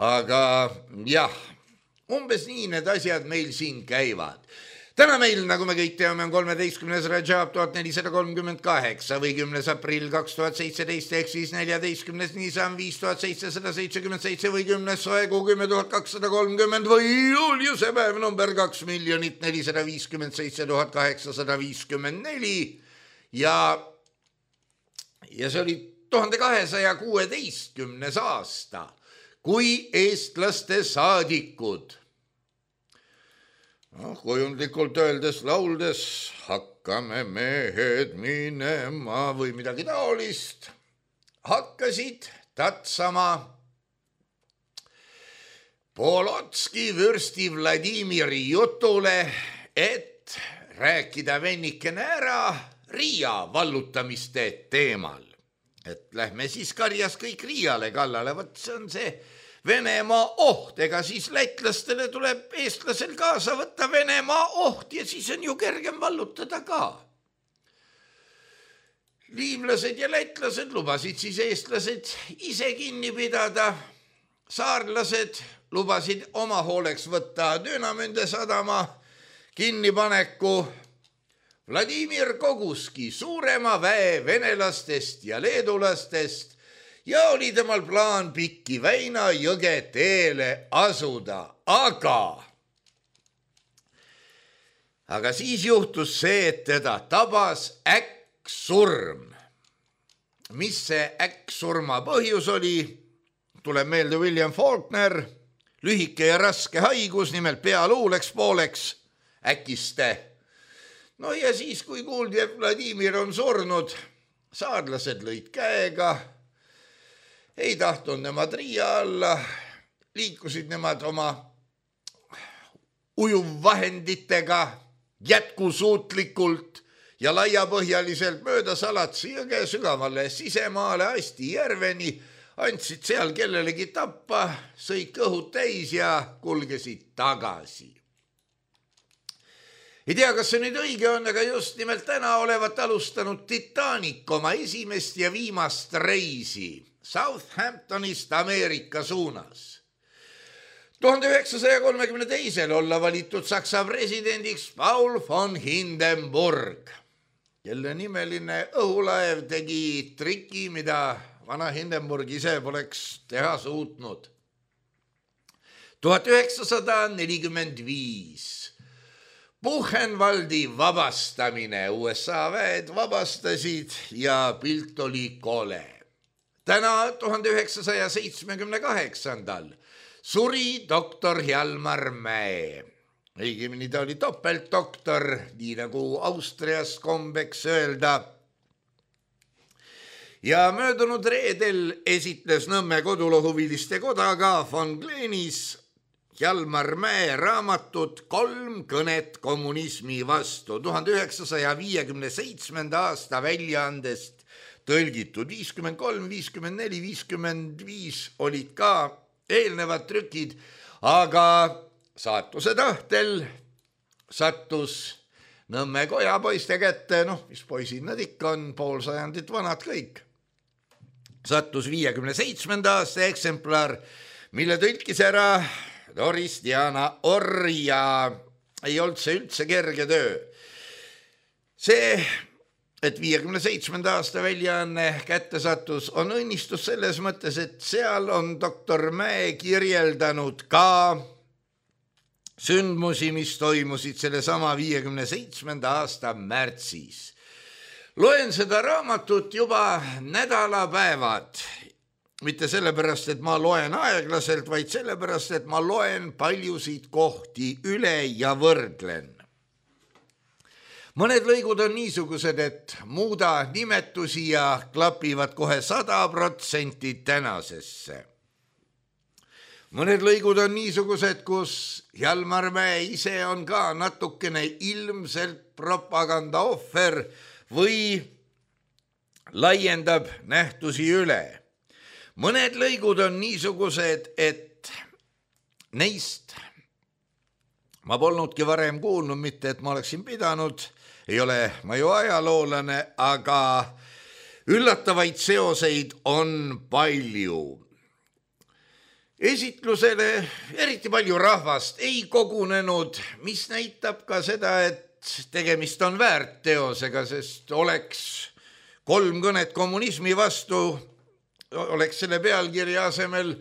aga jah, umbes nii need asjad meil siin käivad. Täna meil, nagu me kõik teame, on 13. Rajab 1438 või 10. aprill 2017 ehk siis 14. Nisan 5777 või 10. soekuu 10230 või Juliuse päev number 2 457 854 ja see oli 1216. aasta, kui eestlaste saadikud kujundlikult öeldes lauldes hakkame mehed minema või midagi taolist, hakkasid tatsama Polotski vürsti Vladimiri jutule, et rääkida vennikene ära Riia vallutamiste teemal. Et lähme siis karjas kõik Riiale kallale, võt see on see Venemaa oht, ega siis lätlastele tuleb eestlasel kaasa võtta Venemaa oht ja siis on ju kergem vallutada ka. Liivlased ja lätlased lubasid siis eestlased ise kinni pidada, saarlased lubasid oma hooleks võtta Dünamünde sadama kinnipaneku. Vladimir koguski suurema väe venelastest ja leedulastest ja oli temal plaan Pikki Väina jõge teele asuda, aga siis juhtus see, et teda tabas äkksurm. Mis see äkksurma põhjus oli? Tuleb meelde William Faulkner, lühike ja raske haigus, nimelt pealuu läks pooleks äkiste. No ja siis, kui kuuldi, et Vladimir on surnud, saarlased lõid käega, ei tahtnud nemad Riia alla, liikusid nemad oma ujuvvahenditega jätkusuutlikult ja laiapõhjaliselt mööda Salatsi jõge sügavale sisemaale Asti järveni, andsid seal kellelegi tappa, sõid kõhud täis ja kulgesid tagasi. Ei tea, kas see nüüd õige on, aga just nimelt täna olevat alustanud Titanic oma esimest ja viimast reisi Southamptonist Ameerika suunas. 1932 olla valitud Saksa presidendiks Paul von Hindenburg, kelle nimeline õhulaev tegi triki, mida vana Hindenburg ise poleks teha suutnud. 1945 Buchenwaldi vabastamine, USA väed vabastasid ja pilt oli kole. Täna 1978 suri doktor Hjalmar Mäe. Õigemini ta oli topeltdoktor, nii nagu Austrias kombeks öelda. Ja möödunud reedel esitles Nõmme kodulohuviliste koda ka von Glenis Hjalmar Mäe raamatut 3 kõnet kommunismi vastu 1957. aasta väljaandest tõlgitud. 53, 54, 55 olid ka eelnevad trükid, aga saatuse tahtel sattus Nõmme kojapoiste kätte, mis poisid nad ikka on, pool sajandit vanad kõik. Sattus 57. aasta eksemplar, mille tõlkis ära Doris Diana Orr ja ei olnud see üldse kerge töö. See, et 57. aasta väljaanne kätte sattus, on õnnistus selles mõttes, et seal on doktor Mäe kirjeldanud ka sündmusi, mis toimusid selle sama 57. aasta märtsis. Loen seda raamatut juba nädalapäevad mitte sellepärast, et ma loen aeglaselt, vaid sellepärast, et ma loen paljusid kohti üle ja võrdlen. Mõned lõigud on niisugused, et muuda nimetusi ja klapivad kohe 100% tänasesse. Mõned lõigud on niisugused, kus Hjalmar Mäe ise on ka natukene ilmselt propaganda ohver või laiendab nähtusi üle. Mõned lõigud on niisugused, et neist ma polnudki varem kuulnud, mitte et ma oleksin pidanud, ei ole ma ju ajaloolane, aga üllatavaid seoseid on palju. Esitlusele eriti palju rahvast ei kogunenud, mis näitab ka seda, et tegemist on väärteosega, sest oleks 3 kõnet kommunismi vastu, oleks selle pealkirja asemel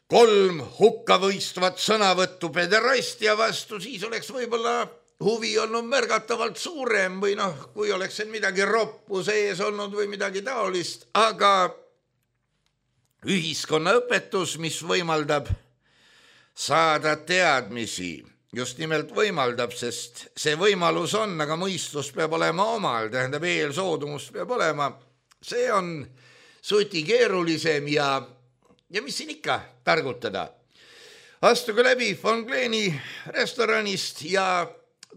3 hukkavõistvat sõnavõttu pederastia vastu, siis oleks võib-olla huvi olnud märgatavalt suurem või kui oleks midagi roppu sees olnud või midagi taolist, aga ühiskonnaõpetus, mis võimaldab saada teadmisi, just nimelt võimaldab, sest see võimalus on, aga mõistus peab olema omal, tähendab eelsoodumus peab olema, see on suti keerulisem ja mis siin ikka targutada. Astuge läbi Von Kleeni restoranist ja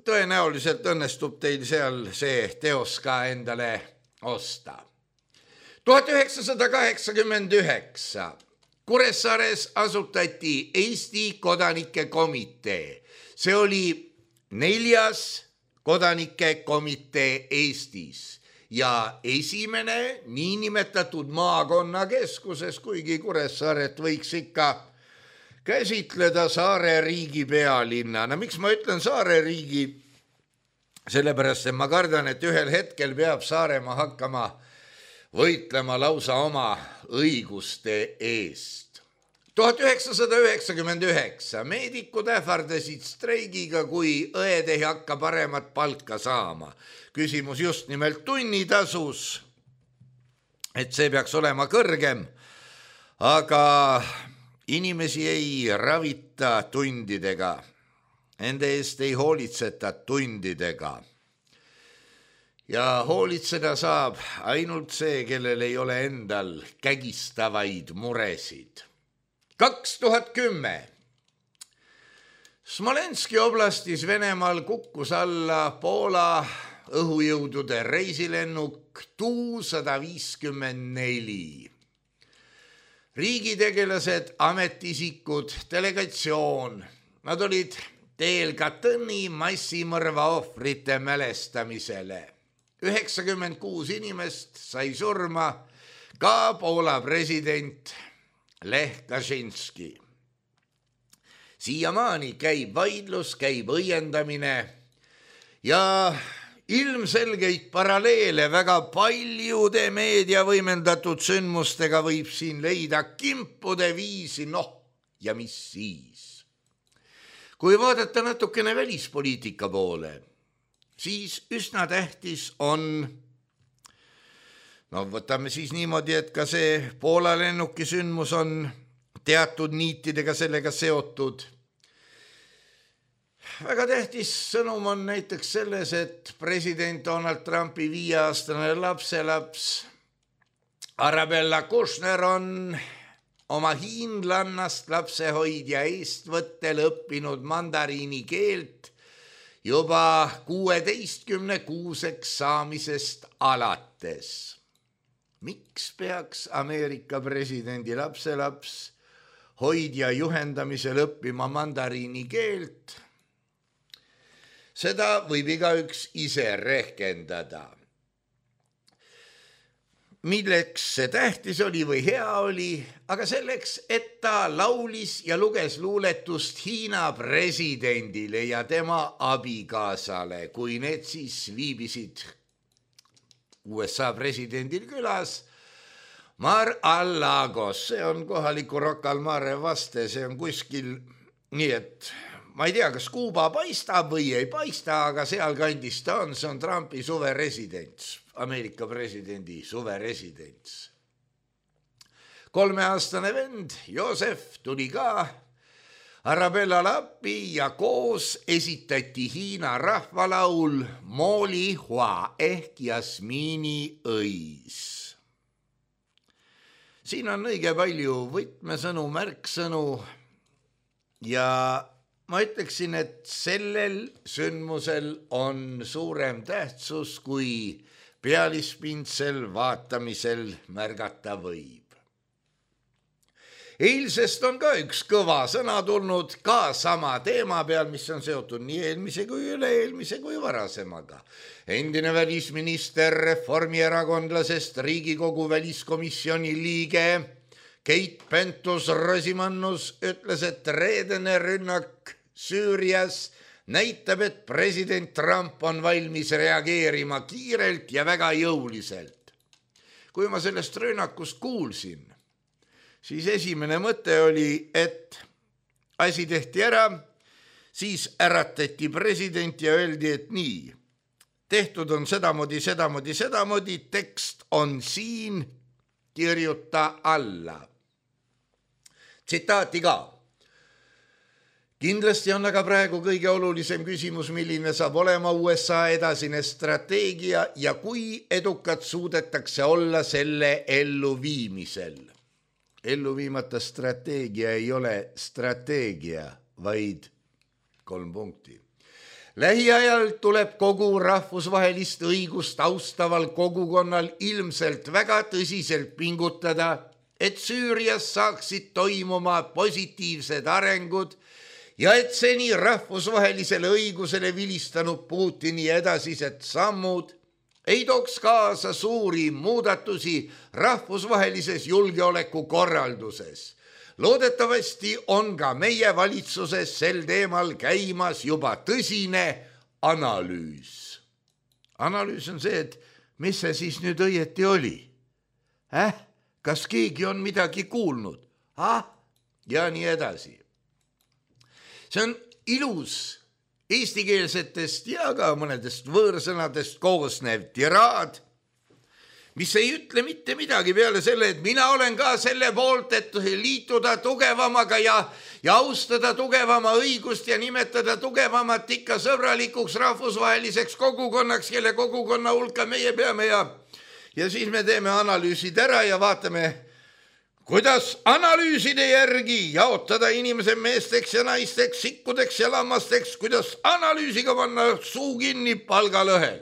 tõenäoliselt õnnestub teil seal see teos ka endale osta. 1989 Kuressaares asutati Eesti Kodanike Komitee. See oli 4. kodanike komitee Eestis ja esimene niinimetatud maakonnakeskuses, kuigi Kuressaaret võiks ikka käsitleda saare riigi pealinnana. Miks ma ütlen saare riigi? Sellepärast, et ma kardan, et ühel hetkel peab Saaremaa hakkama võitlema lausa oma õiguste eest. 1999 meedikud ähvardasid streigiga, kui õed ei hakka paremat palka saama. Küsimus just nimelt tunnitasus, et see peaks olema kõrgem, aga inimesi ei ravita tundidega, nende eest ei hoolitseta tundidega. Ja hoolitseda saab ainult see, kellel ei ole endal kägistavaid muresid. 2010 Smolenski oblastis Venemaal kukkus alla Poola õhujõudude reisilennuk Tu-154. Riigitegelased, ametisikud, delegatsioon, nad olid teel Katyni massimõrva ohvrite mälestamisele. 96 inimest sai surma, ka Poola president Lech Kaczynski. Siiamaani käib vaidlus, käib õiendamine ja ilmselgeid paralleele väga paljude meedia võimendatud sündmustega võib siin leida kimpude viisi, ja mis siis? Kui vaadata natukene välispoliitika poole, siis üsna tähtis on, võtame siis niimoodi, et ka see Poola lennuki sündmus on teatud niitidega sellega seotud. Väga tähtis sõnum on näiteks selles, et president Donald Trumpi 5-aastane lapselaps Arabella Kushner on oma hiinlannast lapsehoidja eestvõttel õppinud mandariini keelt juba 16-kuuseks saamisest alates. Miks peaks Ameerika presidendi lapselaps hoidja juhendamisel õppima mandariini keelt? Seda võib igaüks ise rehkendada. Milleks see tähtis oli või hea oli, aga selleks, et ta laulis ja luges luuletust Hiina presidendile ja tema abikaasale, kui need siis viibisid USA presidendil külas Mar-a-Lagos. See on kohaliku Rocca al Mare vaste, see on kuskil nii, et ma ei tea, kas Kuuba paistab või ei paista, aga seal kandis ta on, see on Trumpi suveresidents, Ameerika presidendi suveresidents. 3-aastane vend Joosef tuli ka Arabellale appi ja koos esitati Hiina rahvalaul Mooli Hua ehk jasmiini õis. Siin on õige palju võtmesõnu, märksõnu ja ma ütleksin, et sellel sündmusel on suurem tähtsus, kui pealispindsel vaatamisel märgata võib. Eilsest on ka üks kõva sõna tulnud ka sama teema peal, mis on seotud nii eelmise kui üle-eelmise kui varasemaga. Endine välisminister reformierakondlasest Riigikogu väliskomisjoni liige Keit Pentus-Rosimannus ütles, et reedene rünnak Süürias näitab, et president Trump on valmis reageerima kiirelt ja väga jõuliselt. Kui ma sellest rünnakust kuulsin, siis esimene mõte oli, et asi tehti ära, siis äratati president ja öeldi, et nii, tehtud on sedamoodi, tekst on siin, kirjuta alla. Tsitaati ka. Kindlasti on aga praegu kõige olulisem küsimus, milline saab olema USA edasine strateegia ja kui edukad suudetakse olla selle elluviimisel. Elluviimata strateegia ei ole strateegia, vaid 3 punkti. Lähiajal tuleb kogu rahvusvahelist õigust austaval kogukonnal ilmselt väga tõsiselt pingutada, et Süürias saaksid toimuma positiivsed arengud ja et seni rahvusvahelisele õigusele vilistanud Putini edasised sammud ei tooks kaasa suuri muudatusi rahvusvahelises julgeolekukorralduses. Loodetavasti on ka meie valitsuses sel teemal käimas juba tõsine analüüs. Analüüs on see, et mis see siis nüüd õieti oli? Kas keegi on midagi kuulnud? Ja nii edasi. See on ilus eestikeelsetest ja ka mõnedest võõrsõnadest koosnev tiraad, mis ei ütle mitte midagi peale selle, et mina olen ka selle poolt, et liituda tugevamaga ja austada tugevama õigust ja nimetada tugevamat ikka sõbralikuks rahvusvaheliseks kogukonnaks, kelle kogukonna hulka meie peame ja siis me teeme analüüsid ära ja vaatame, kuidas analüüside järgi jaotada inimese meesteks ja naisteks, sikkudeks ja lammasteks, kuidas analüüsiga panna suu kinni palgalõhel.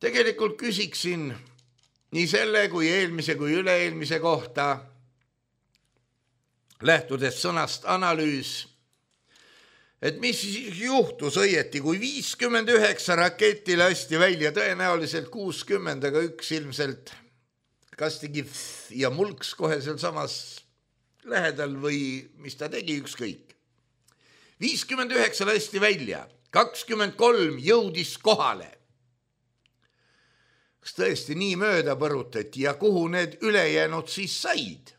Tegelikult küsiksin nii selle kui eelmise kui üle-eelmise kohta, lähtudes sõnast analüüs, et mis juhtus õieti, kui 59 raketti lasti välja, tõenäoliselt 60, aga üks ilmselt kas tegi ja mulks kohe seal samas lähedal või mis ta tegi, ükskõik. 59 lasti välja, 23 jõudis kohale. Kas tõesti nii mööda põrutati ja kuhu need ülejäänud siis said?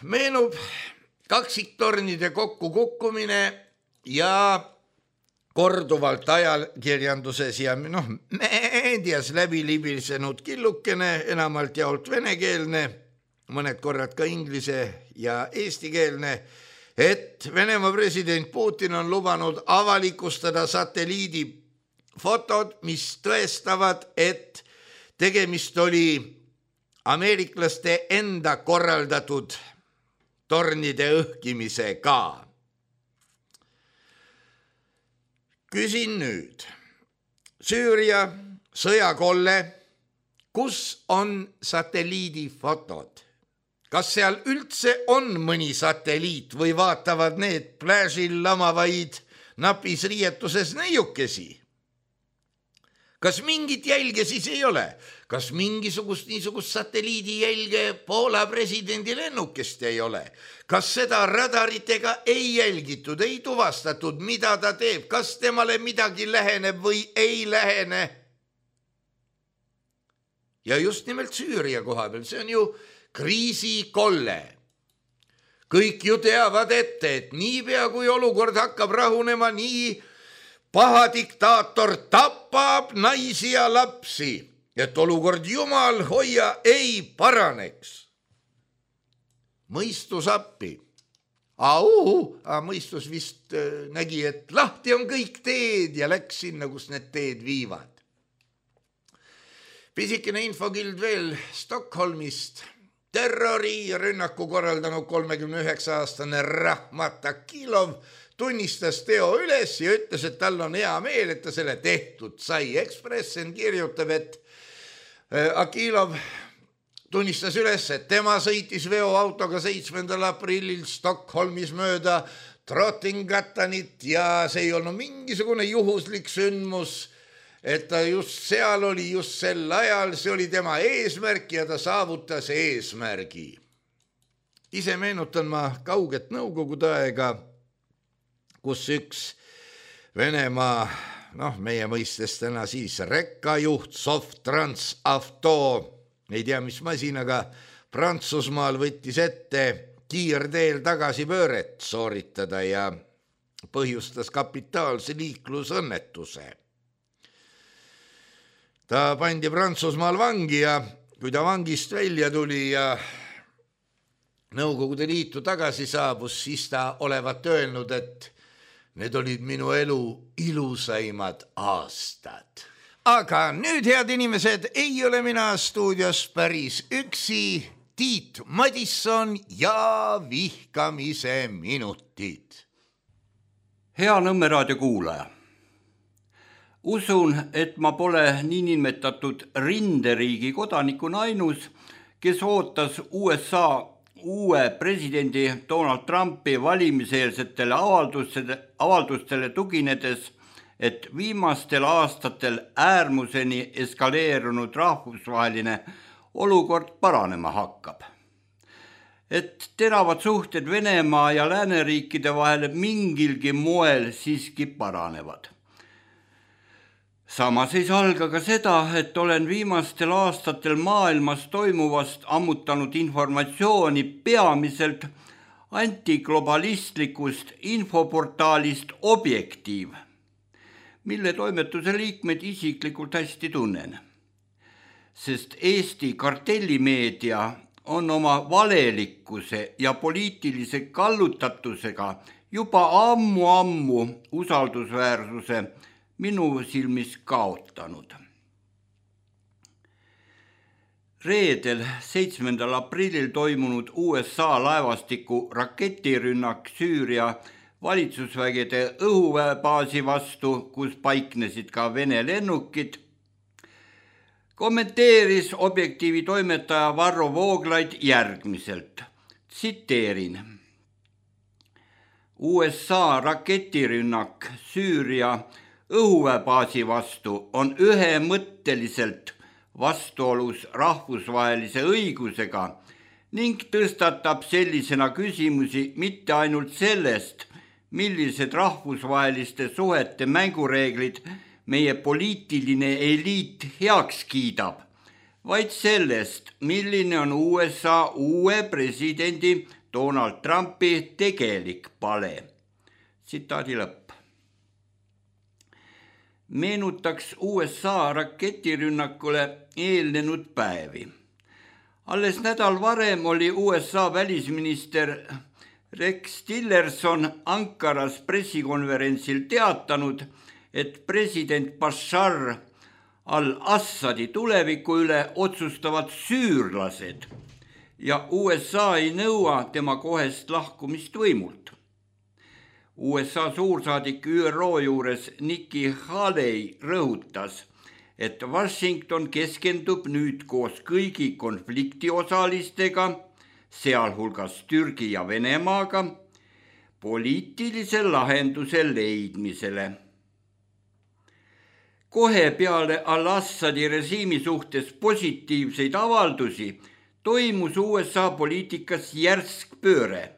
Meenub kaksiktornide kokkukukkumine ja korduvalt ajakirjanduses ja meedias läbi libisenud killukene, enamalt jaolt venekeelne, mõned korrad ka inglise ja eestikeelne, et Venemaa president Putin on lubanud avalikustada satelliidifotod, mis tõestavad, et tegemist oli ameeriklaste enda korraldatud tornide õhkimisega. Küsin nüüd, Süüria sõjakolle, kus on satelliidifotod? Kas seal üldse on mõni satelliit või vaatavad need pläžil lamavaid napis riietuses neiukesi? Kas mingit jälge siis ei ole? Kas mingisugust niisugust satelliidi jälge Poola presidendi lennukest ei ole? Kas seda radaritega ei jälgitud, ei tuvastatud, mida ta teeb? Kas temale midagi läheneb või ei lähene? Ja just nimelt Süüria koha peal, see on ju kriisikolle. Kõik ju teavad ette, et niipea kui olukord hakkab rahunema, nii paha diktaator tapab naisi ja lapsi et olukord jumal hoia ei paraneks. Mõistus appi. Mõistus vist nägi, et lahti on kõik teed ja läks sinna, kus need teed viivad. Pisikene infokild veel Stockholmist. Terrorirünnaku korraldanud 39-aastane Rahmat Akilov tunnistas teo üles ja ütles, et tal on hea meel, et ta selle tehtud sai. Ekspressen kirjutab, et Akilov tunnistas üles, et tema sõitis veoautoga 7. aprillil Stockholmis mööda Trottingattanit ja see ei olnud mingisugune juhuslik sündmus, et ta just seal oli, just sel ajal, see oli tema eesmärk ja ta saavutas eesmärgi. Ise meenutan ma kauget nõukogude aega, kus üks Venemaa, meie mõistes täna siis rekkajuht Sovtrans-Avto, ei tea mis masinaga, Prantsusmaal võttis ette kiirteel tagasipööret sooritada ja põhjustas kapitaalse liiklusõnnetuse. Ta pandi Prantsusmaal vangi ja kui ta vangist välja tuli ja Nõukogude Liitu tagasi saabus, siis ta olevat öelnud, et need olid minu elu ilusaimad aastad. Aga nüüd, head inimesed, ei ole mina stuudios päris üksi. Tiit Madisson ja vihkamise minutid. Hea Nõmme raadio kuulaja. Usun, et ma pole niinimetatud rinderiigi kodanikuna ainus, kes ootas USA uue presidendi Donald Trumpi valimiseelsetele avaldustele tuginedes, et viimastel aastatel äärmuseni eskaleerunud rahvusvaheline olukord paranema hakkab. Et teravad suhted Venemaa ja lääneriikide vahel mingilgi moel siiski paranevad. Samas ei salga ka seda, et olen viimastel aastatel maailmas toimuvast ammutanud informatsiooni peamiselt antiglobalistlikust infoportaalist Objektiiv, mille toimetuse liikmeid isiklikult hästi tunnen. Sest Eesti kartellimeedia on oma valelikkuse ja poliitilise kallutatusega juba ammu usaldusväärsuse minu silmis kaotanud. Reedel 7. aprillil toimunud USA laevastiku raketirünnak Süüria valitsusvägede õhuväebaasi vastu, kus paiknesid ka Vene lennukid, kommenteeris Objektiivi toimetaja Varro Vooglaid järgmiselt. Tsiteerin. USA raketirünnak Süüria õhuväebaasi vastu on ühemõtteliselt vastuolus rahvusvahelise õigusega ning tõstatab sellisena küsimusi mitte ainult sellest, millised rahvusvaheliste suhete mängureeglid meie poliitiline eliit heaks kiidab, vaid sellest, milline on USA uue presidendi Donald Trumpi tegelik pale. Tsitaadi lõpp. Meenutaks USA raketirünnakule eelnenud päevi. Alles nädal varem oli USA välisminister Rex Tillerson Ankaras pressikonverentsil teatanud, et president Bashar al-Assadi tuleviku üle otsustavad süürlased ja USA ei nõua tema kohest lahkumist võimult. USA suursaadik ÜRO juures Nikki Haley rõhutas, et Washington keskendub nüüd koos kõigi konfliktiosalistega, sealhulgas Türgi ja Venemaaga, poliitilise lahenduse leidmisele. Kohe peale al-Assadi režiimi suhtes positiivseid avaldusi toimus USA poliitikas järsk pööre.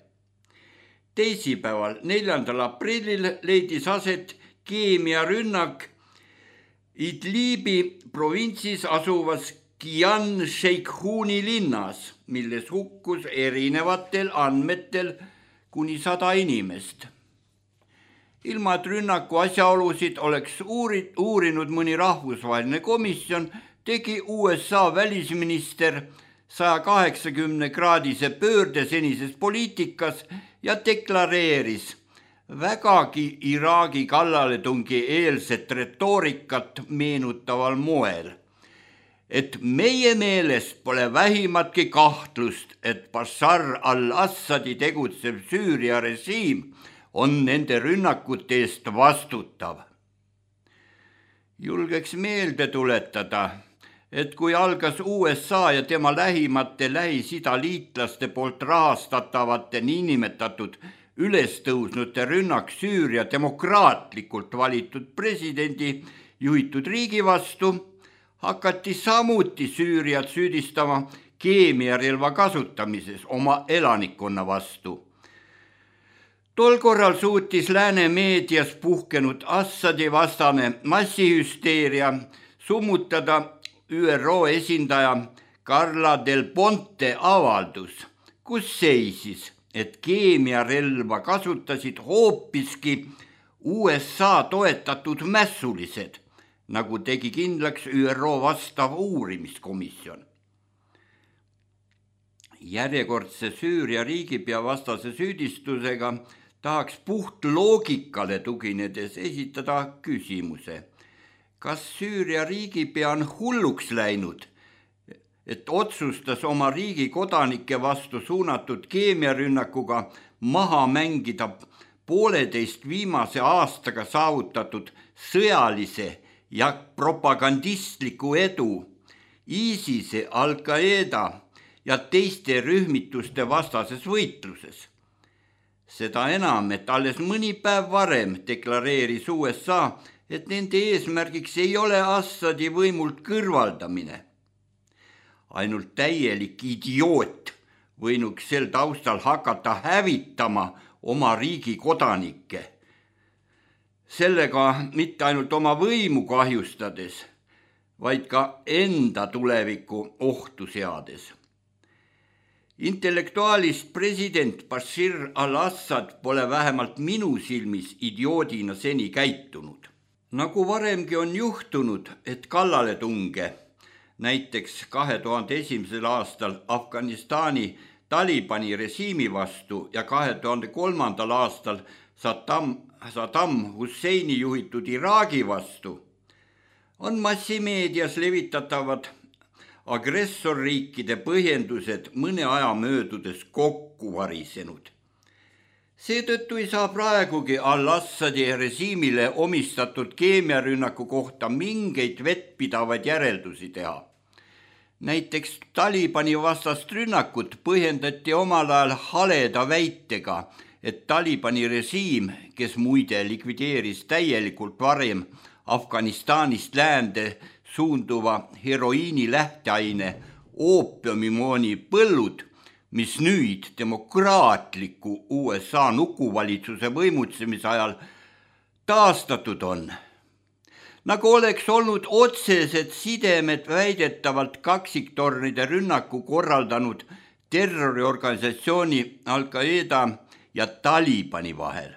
Teisipäeval 4. aprillil leidis aset keemiarünnak Idlibi provintsis asuvas Kian Sheikhuni linnas, milles hukkus erinevatel andmetel kuni 100 inimest. Ilma et rünnaku asjaolusid oleks uurinud mõni rahvusvaheline komisjon, tegi USA välisminister 180-kraadise pöörde senises poliitikas ja deklareeris vägagi Iraagi kallaletungi eelset retoorikat meenutaval moel, et meie meelest pole vähimatki kahtlust, et Bashar al-Assadi tegutsev Süüria režiim on nende rünnakute eest vastutav. Julgeks meelde tuletada, et kui algas USA ja tema lähimate Lähis-Ida liitlaste poolt rahastatavate niinimetatud ülestõusnute rünnak Süüria demokraatlikult valitud presidendi juhitud riigi vastu, hakati samuti Süüriat süüdistama keemiarelva kasutamises oma elanikkonna vastu. Tol korral suutis lääne meedias puhkenud Assadi vastane massihüsteeria summutada ÜRO esindaja Carla Del Ponte avaldus, kus seisis, et keemiarelva kasutasid hoopiski USA toetatud mässulised, nagu tegi kindlaks ÜRO vastav uurimiskomisjon. Järjekordse Süüria riigipea vastase süüdistusega tahaks puht loogikale tuginedes esitada küsimuse, kas Süüria riigipea on hulluks läinud, et otsustas oma riigi kodanike vastu suunatud keemiarünnakuga maha mängida 1,5 viimase aastaga saavutatud sõjalise ja propagandistliku edu ISISe, Al-Qaeda ja teiste rühmituste vastases võitluses. Seda enam, et alles mõni päev varem deklareeris USA, et nende eesmärgiks ei ole Assadi võimult kõrvaldamine. Ainult täielik idioot võinuks sel taustal hakata hävitama oma riigi kodanikke. Sellega mitte ainult oma võimu kahjustades, vaid ka enda tuleviku ohtu seades. Intellektuaalist president Bashar al-Assad pole vähemalt minu silmis idioodina seni käitunud. Nagu varemgi on juhtunud, et kallaletunge, näiteks 2001. aastal Afganistani Talibani režiimi vastu ja 2003. aastal Saddam Husseini juhitud Iraagi vastu, on massimeedias levitatavad agressorriikide põhjendused mõne aja möödudes kokku varisenud. Seetõttu ei saa praegugi al-Assadi režiimile omistatud keemiarünnaku kohta mingeid vettpidavaid järeldusi teha. Näiteks Talibani vastast rünnakut põhjendati omal ajal haleda väitega, et Talibani režiim, kes muide likvideeris täielikult varem Afganistanist läände suunduva heroiini lähteaine oopiumimooni põllud, mis nüüd demokraatliku USA nukuvalitsuse võimutsemise ajal taastatud on. Nagu oleks olnud otsesed sidemed väidetavalt kaksiktornide rünnaku korraldanud terroriorganisatsiooni Al-Qaeda ja Talibani vahel.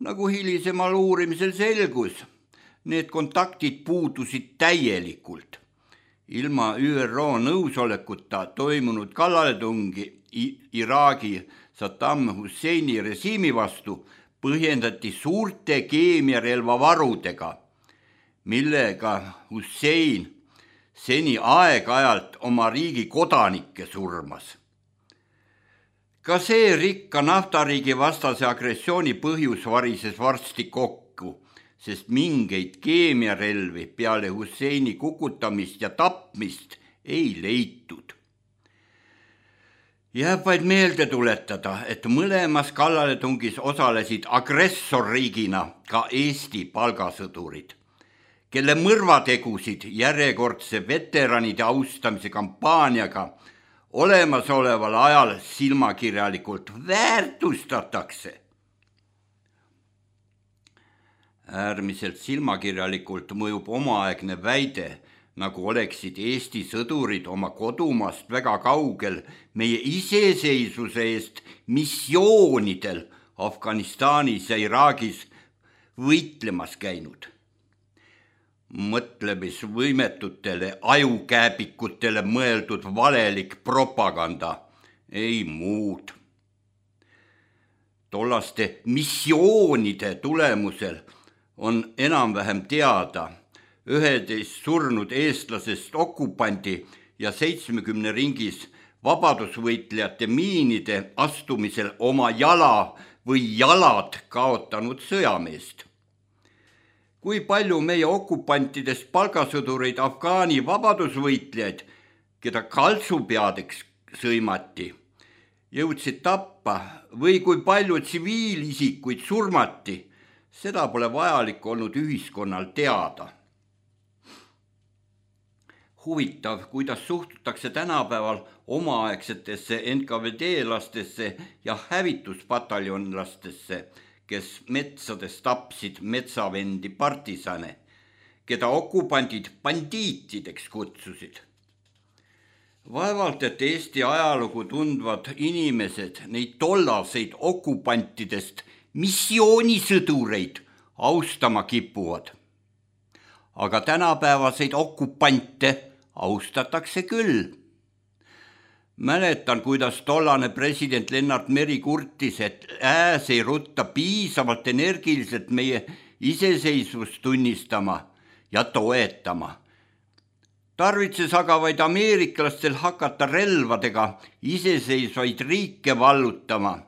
Nagu hilisemal uurimisel selgus, need kontaktid puudusid täielikult. Ilma ÜRO nõusolekuta toimunud kallaletungi Iraagi Saddam Husseini režiimi vastu põhjendati suurte keemiarelvavarudega, millega Hussein seni aeg-ajalt oma riigi kodanikke surmas. Ka see rikka naftariigi vastase agressiooni põhjus varises varsti kokku, sest mingeid keemiarelvi peale Husseini kukutamist ja tapmist ei leitud. Jääb vaid meelde tuletada, et mõlemas kallaletungis osalesid agressorriigina ka Eesti palgasõdurid, kelle mõrvategusid järjekordse veteranide austamise kampaaniaga olemasoleval ajal silmakirjalikult väärtustatakse. Äärmiselt silmakirjalikult mõjub omaaegne väide, nagu oleksid Eesti sõdurid oma kodumaast väga kaugel meie iseseisvuse eest missioonidel Afganistanis ja Iraagis võitlemas käinud. mõtlemisvõimetutele ajukääbikutele mõeldud valelik propaganda, ei muud. Tollaste missioonide tulemusel on enam-vähem teada 11 surnud eestlasest okupandi ja 70 ringis vabadusvõitlejate miinide astumisel oma jala või jalad kaotanud sõjameest. Kui palju meie okupantidest palgasõdureid Afgaani vabadusvõitlejaid, keda kaltsupeadeks sõimati, jõudsid tappa või kui palju tsiviilisikuid surmati, seda pole vajalik olnud ühiskonnal teada. Huvitav, kuidas suhtutakse tänapäeval omaaegsetesse NKVD-lastesse ja hävituspataljonlastesse, kes metsades tapsid metsavendi partisane, keda okupandid bandiitideks kutsusid. Vaevalt, et Eesti ajalugu tundvad inimesed neid tollaseid okupantidest missioonisõdureid austama kipuvad. Aga tänapäevaseid okupante austatakse küll. Mäletan, kuidas tollane president Lennart Meri kurtis, et ei rutta piisavalt energiliselt meie iseseisvust tunnistama ja toetama. Tarvitses aga vaid ameeriklastel hakata relvadega iseseisvaid riike vallutama,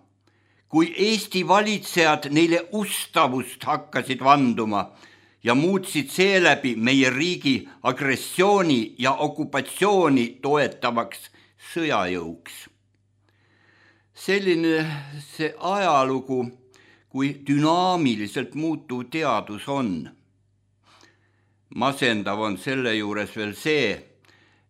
kui Eesti valitsejad neile ustavust hakkasid vanduma ja muutsid seeläbi meie riigi agressiooni ja okupatsiooni toetavaks sõjajõuks. Selline see ajalugu, kui dünaamiliselt muutuv teadus on. Masendav on selle juures veel see,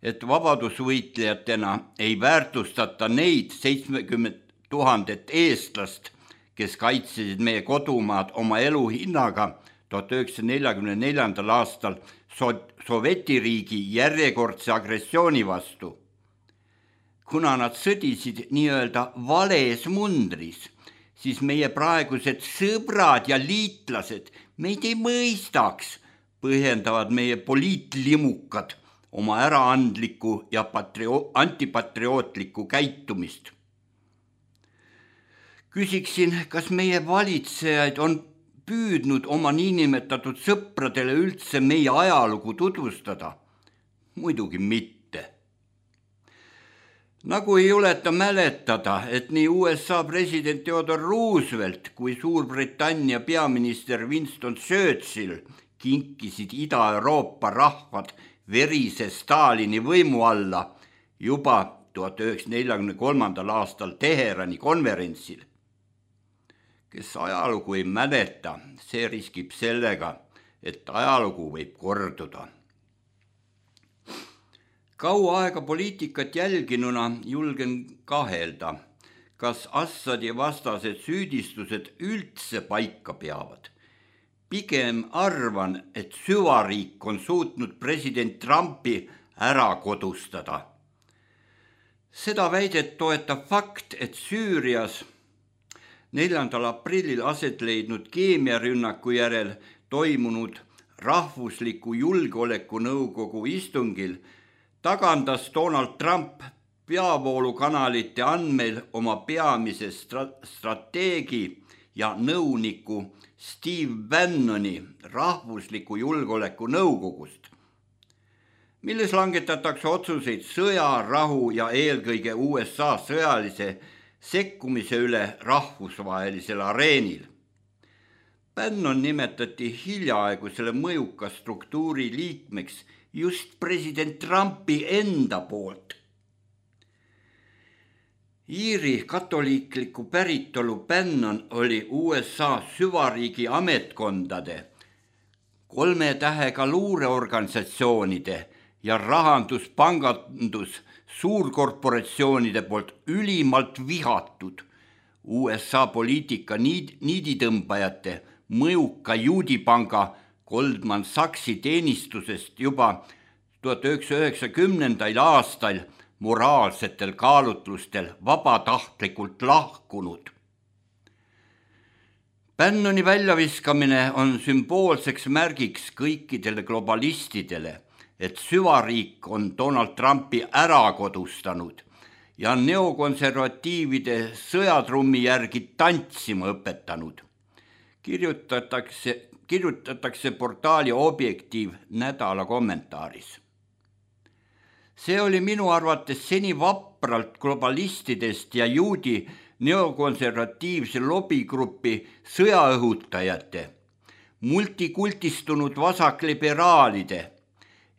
et vabadusvõitlejatena ei väärtustata neid 70 000 eestlast, kes kaitsesid meie kodumaad oma elu hinnaga 1944. aastal Sovetiriigi järjekordse agressiooni vastu. Kuna nad sõdisid nii-öelda vales mundris, siis meie praegused sõbrad ja liitlased meid ei mõistaks, põhjendavad meie poliitlimukad oma äraandlikku ja antipatriootlikku käitumist. Küsiksin, kas meie valitsejaid on püüdnud oma niinimetatud sõpradele üldse meie ajalugu tutvustada? Muidugi mitte. Nagu ei juleta mäletada, et nii USA president Theodore Roosevelt kui Suurbritannia peaminister Winston Churchill kinkisid Ida-Euroopa rahvad verise Stalini võimu alla juba 1943. aastal Teherani konverentsil. Kes ajalugu ei mäleta, see riskib sellega, et ajalugu võib korduda. Kaua aega poliitikat jälginuna julgen kahelda, kas Assadi vastased süüdistused üldse paika peavad. Pigem arvan, et süvariik on suutnud president Trumpi ära kodustada. Seda väidet toetab fakt, et Süürias 4. aprillil aset leidnud keemiarünnaku järel toimunud Rahvusliku Julgeolekunõukogu istungil tagandas Donald Trump peavoolukanalite andmeil oma peamise strateegi ja nõuniku Steve Bannoni Rahvusliku Julgeolekunõukogust, milles langetatakse otsuseid sõja, rahu ja eelkõige USA sõjalise sekkumise üle rahvusvahelisel areenil. Bannon nimetati hiljaaegu selle mõjuka struktuuri liikmeks just president Trumpi enda poolt. Iiri katoliikliku päritolu Bannon oli USA süvariigi ametkondade, 3 tähega luureorganisatsioonide ja rahanduspangandus suurkorporatsioonide poolt ülimalt vihatud USA poliitika niiditõmbajate mõjuka juudipanga Goldman Sachsi teenistusest juba 1990. aastal moraalsetel kaalutlustel vabatahtlikult lahkunud. Bannoni väljaviskamine on sümboolseks märgiks kõikidele globalistidele, et süvariik on Donald Trumpi ära kodustanud ja neokonservatiivide sõjatrummi järgi tantsima õpetanud. Kirjutatakse portaali Objektiiv nädala kommentaaris. See oli minu arvates seni vapralt globalistidest ja juudi neokonservatiivse lobigrupi sõjaõhutajate, multikultistunud vasakliberaalide,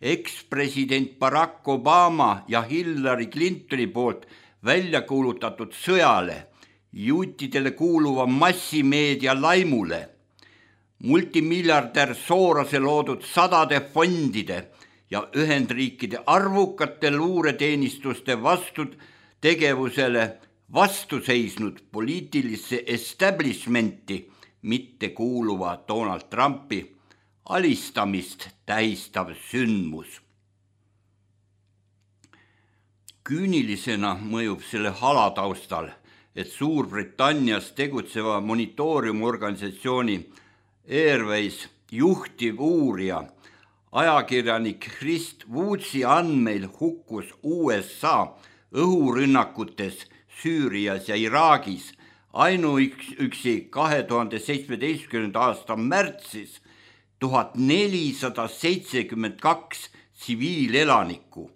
ekspresident Barack Obama ja Hillary Clintoni poolt välja kuulutatud sõjale, juutidele kuuluva massimeedia laimule, multimiljardär Sorose loodud sadade fondide ja Ühendriikide arvukate luureteenistuste vastutegevusele vastu seisnud poliitilisse establishmenti mitte kuuluva Donald Trumpi alistamist tähistav sündmus. Küünilisena mõjub selle halataustal, et Suurbritannias tegutseva monitooriumorganisatsiooni Airways juhtiv uurija, ajakirjanik Chris Woodsi andmeil hukkus USA õhurünnakutes Süürias ja Iraagis ainuüksi 2017. aasta märtsis 1472 tsiviilelanikku.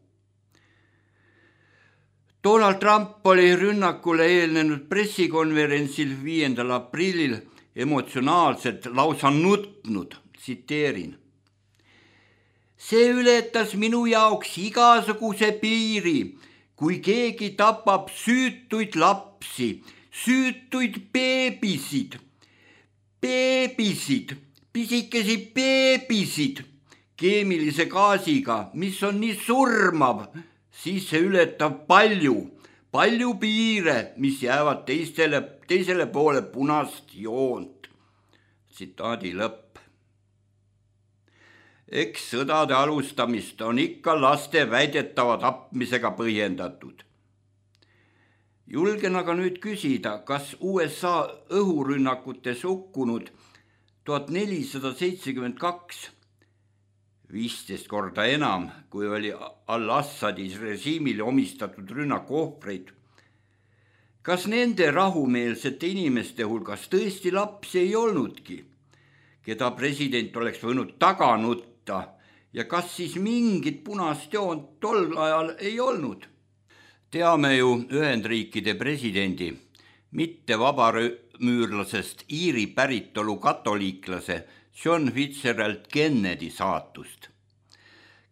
Donald Trump oli rünnakule eelnenud pressikonverentsil 5. aprillil emotsionaalselt lausa nutnud, tsiteerin. See ületas minu jaoks igasuguse piiri, kui keegi tapab süütuid lapsi, süütuid beebisid, pisikesi beebisid keemilise gaasiga, mis on nii surmav, siis see ületab palju piire, mis jäävad teisele poole punast joont. Tsitaadi lõpp. Eks sõdade alustamist on ikka laste väidetava tapmisega põhjendatud. Julgen aga nüüd küsida, kas USA õhurünnakutes hukkunud 1472, 15 korda enam, kui oli al-Assadi režiimile omistatud rünnaku ohvreid. Kas nende rahumeelsete inimeste hulgas tõesti lapsi ei olnudki, keda president oleks võinud taga nutta, ja kas siis mingit punast joont tol ajal ei olnud? Teame ju Ühendriikide presidendi, mitte vabamüürlasest Iiri päritolu katoliiklase John Fitzgerald Kennedy saatust,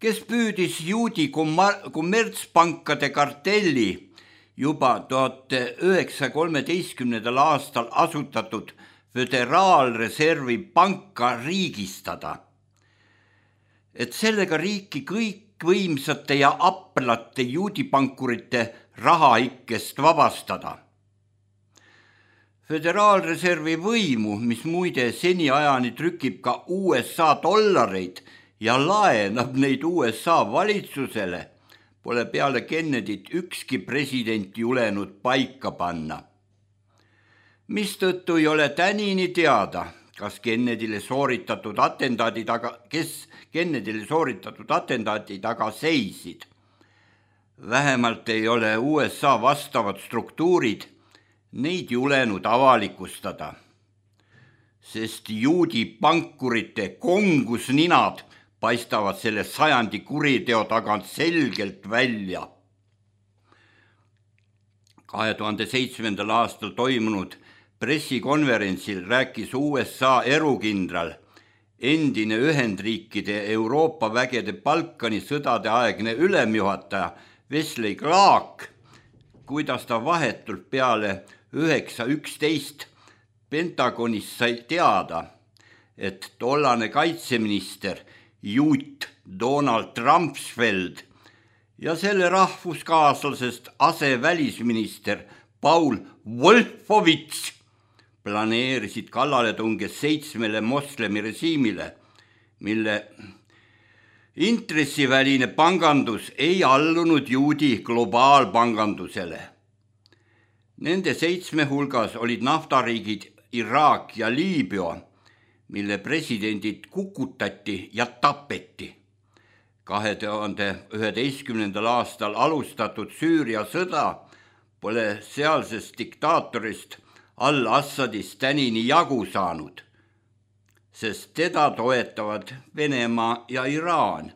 kes püüdis juudi kommertspankade kartelli juba 1913. aastal asutatud Föderaalreservi panka riigistada, et sellega riiki kõikvõimsate ja aplate juudipankurite rahaikkest vabastada. Föderaalreservi võimu, mis muide seniajani trükib ka USA dollareid ja laenab neid USA valitsusele, pole peale Kennedyt ükski president julenud paika panna. Mistõttu ei ole tänini teada, kes Kennedyle sooritatud atentaadi taga seisid. Vähemalt ei ole USA vastavad struktuurid neid julenud avalikustada, sest juudi pankurite kongusninad paistavad selle sajandi kuriteo tagant selgelt välja. 2007. aastal toimunud pressikonverentsil rääkis USA erukindral, endine Ühendriikide Euroopa vägede Balkani sõdade aegne ülemjuhataja Wesley Clark, kuidas ta vahetult peale 9.11 Pentagonis sai teada, et tollane kaitseminister juut Donald Rumsfeld ja selle rahvuskaaslasest asevälisminister Paul Wolfowitz planeerisid kallaletunge 7 moslemi režiimile, mille intressiväline pangandus ei allunud juudi globaalpangandusele. Nende 7 hulgas olid naftariigid Iraak ja Liibüa, mille presidendid kukutati ja tapeti. 2011. aastal alustatud Süüria sõda pole sealsest diktaatorist al-Assadist tänini jagu saanud, sest teda toetavad Venemaa ja Iraan.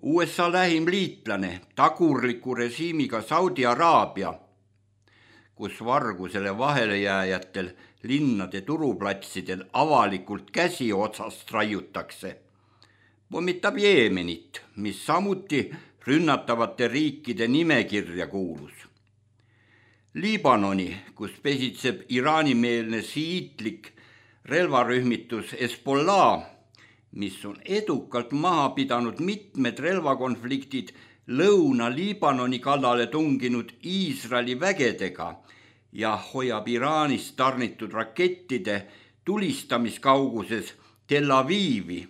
USA lähim liitlane, tagurliku režiimiga Saudi Araabia, kus vargusele vahelejääjatel linnade turuplatsidel avalikult käsi otsast raiutakse, pommitab Jeemenit, mis samuti rünnatavate riikide nimekirja kuulus. Liibanoni, kus pesitseb Iraani-meelne šiitlik relvarühmitus Hezbollah, mis on edukalt maha pidanud mitmed relvakonfliktid Lõuna-Liibanoni kallale tunginud Iisraeli vägedega ja hoiab Iraanist tarnitud rakettide tulistamiskauguses Tel Avivi,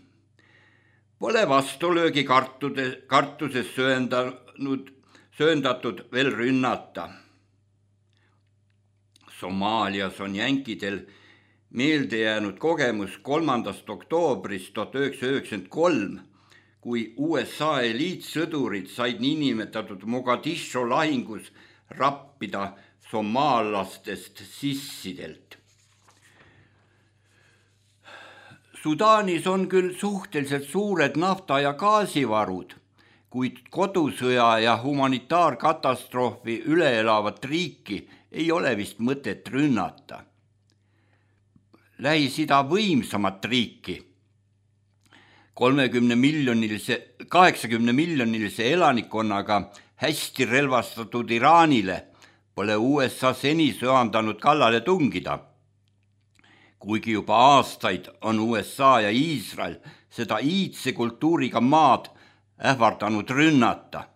pole vastulöögi kartuses sööndatud veel rünnata. Somaalias on jänkidel meelde jäänud kogemus 3. oktoobrist 1993, kui USA eliitsõdurid said niinimetatud Mogadishu lahingus rappida somaallastest sissidelt. Sudaanis on küll suhteliselt suured nafta- ja gaasivarud, kuid kodusõja ja humanitaarkatastroofi üle elavat riiki ei ole vist mõtet rünnata. Lähis-Ida võimsamat riiki, 80 miljonilise elanikkonnaga hästi relvastatud Iraanile pole USA seni söandanud kallale tungida. Kuigi juba aastaid on USA ja Iisrael seda iidse kultuuriga maad ähvardanud rünnata.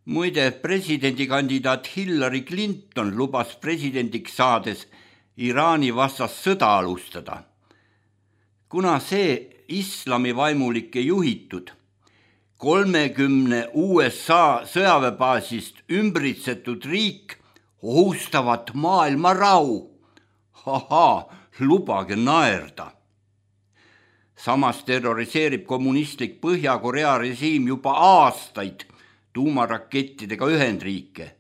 Muide, presidendikandidaat Hillary Clinton lubas presidendiks saades Iraani vastast sõda alustada. Kuna see islamivaimulikke juhitud 30 USA sõjaväebaasist ümbritsetud riik ohustavat maailma rahu. Lubage naerda. Samas terroriseerib kommunistlik Põhja-Korea režiim juba aastaid tuumarakettidega Ühendriike,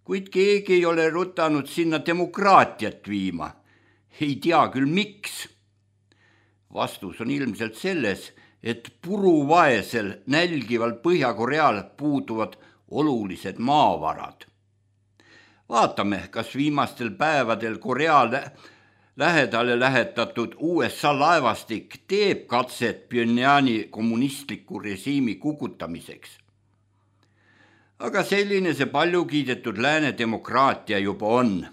kuid keegi ei ole rutanud sinna demokraatiat viima. Ei tea küll miks. Vastus on ilmselt selles, et puruvaesel nälgival Põhja-Koreal puuduvad olulised maavarad. Vaatame, kas viimastel päevadel Korea lähedale lähetatud USA laevastik teeb katset Pyongyani kommunistliku režiimi kukutamiseks. Aga selline see palju kiidetud lääne demokraatia juba on.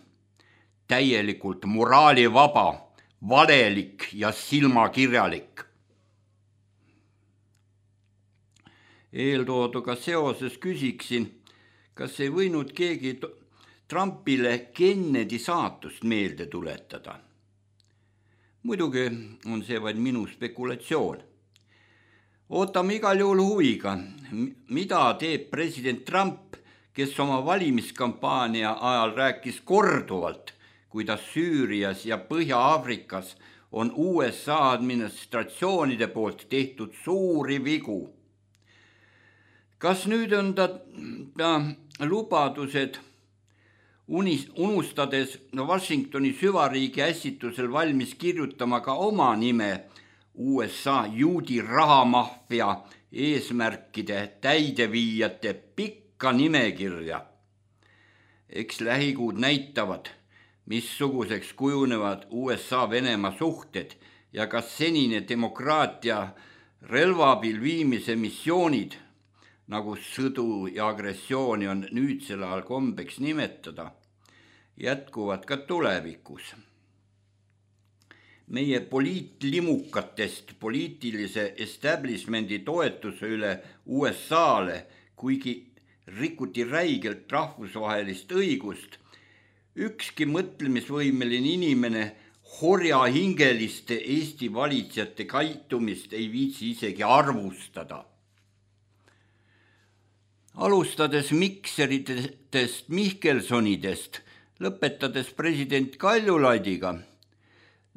Täielikult moraalivaba, valelik ja silmakirjalik. Eeltooduga seoses küsiksin, kas ei võinud keegi Trumpile Kennedy saatust meelde tuletada. Muidugi on see vaid minu spekulatsioon. Ootame igal juhul huviga, mida teeb president Trump, kes oma valimiskampaania ajal rääkis korduvalt, kuidas Süürias ja Põhja-Aafrikas on USA administratsioonide poolt tehtud suuri vigu. Kas nüüd on ta lubadused unustades Washingtoni süvariigi ässitusel valmis kirjutama ka oma nime USA juudi rahamafia eesmärkide täideviijate pikka nimekirja. Eks lähikuud näitavad, missuguseks kujunevad USA-Venemaa suhted ja kas senine demokraatia relvaabil viimise missioonid, nagu sõdu ja agressiooni on nüüdsel ajal kombeks nimetada, jätkuvad ka tulevikus. Meie poliitlimukatest poliitilise establishmendi toetuse üle USA-le, kuigi rikuti räigelt rahvusvahelist õigust, ükski mõtlemisvõimeline inimene horjahingeliste Eesti valitsejate käitumist ei viitsi isegi arvustada. Alustades Mikseritest, Mihkelsonidest, lõpetades president Kaljulaidiga,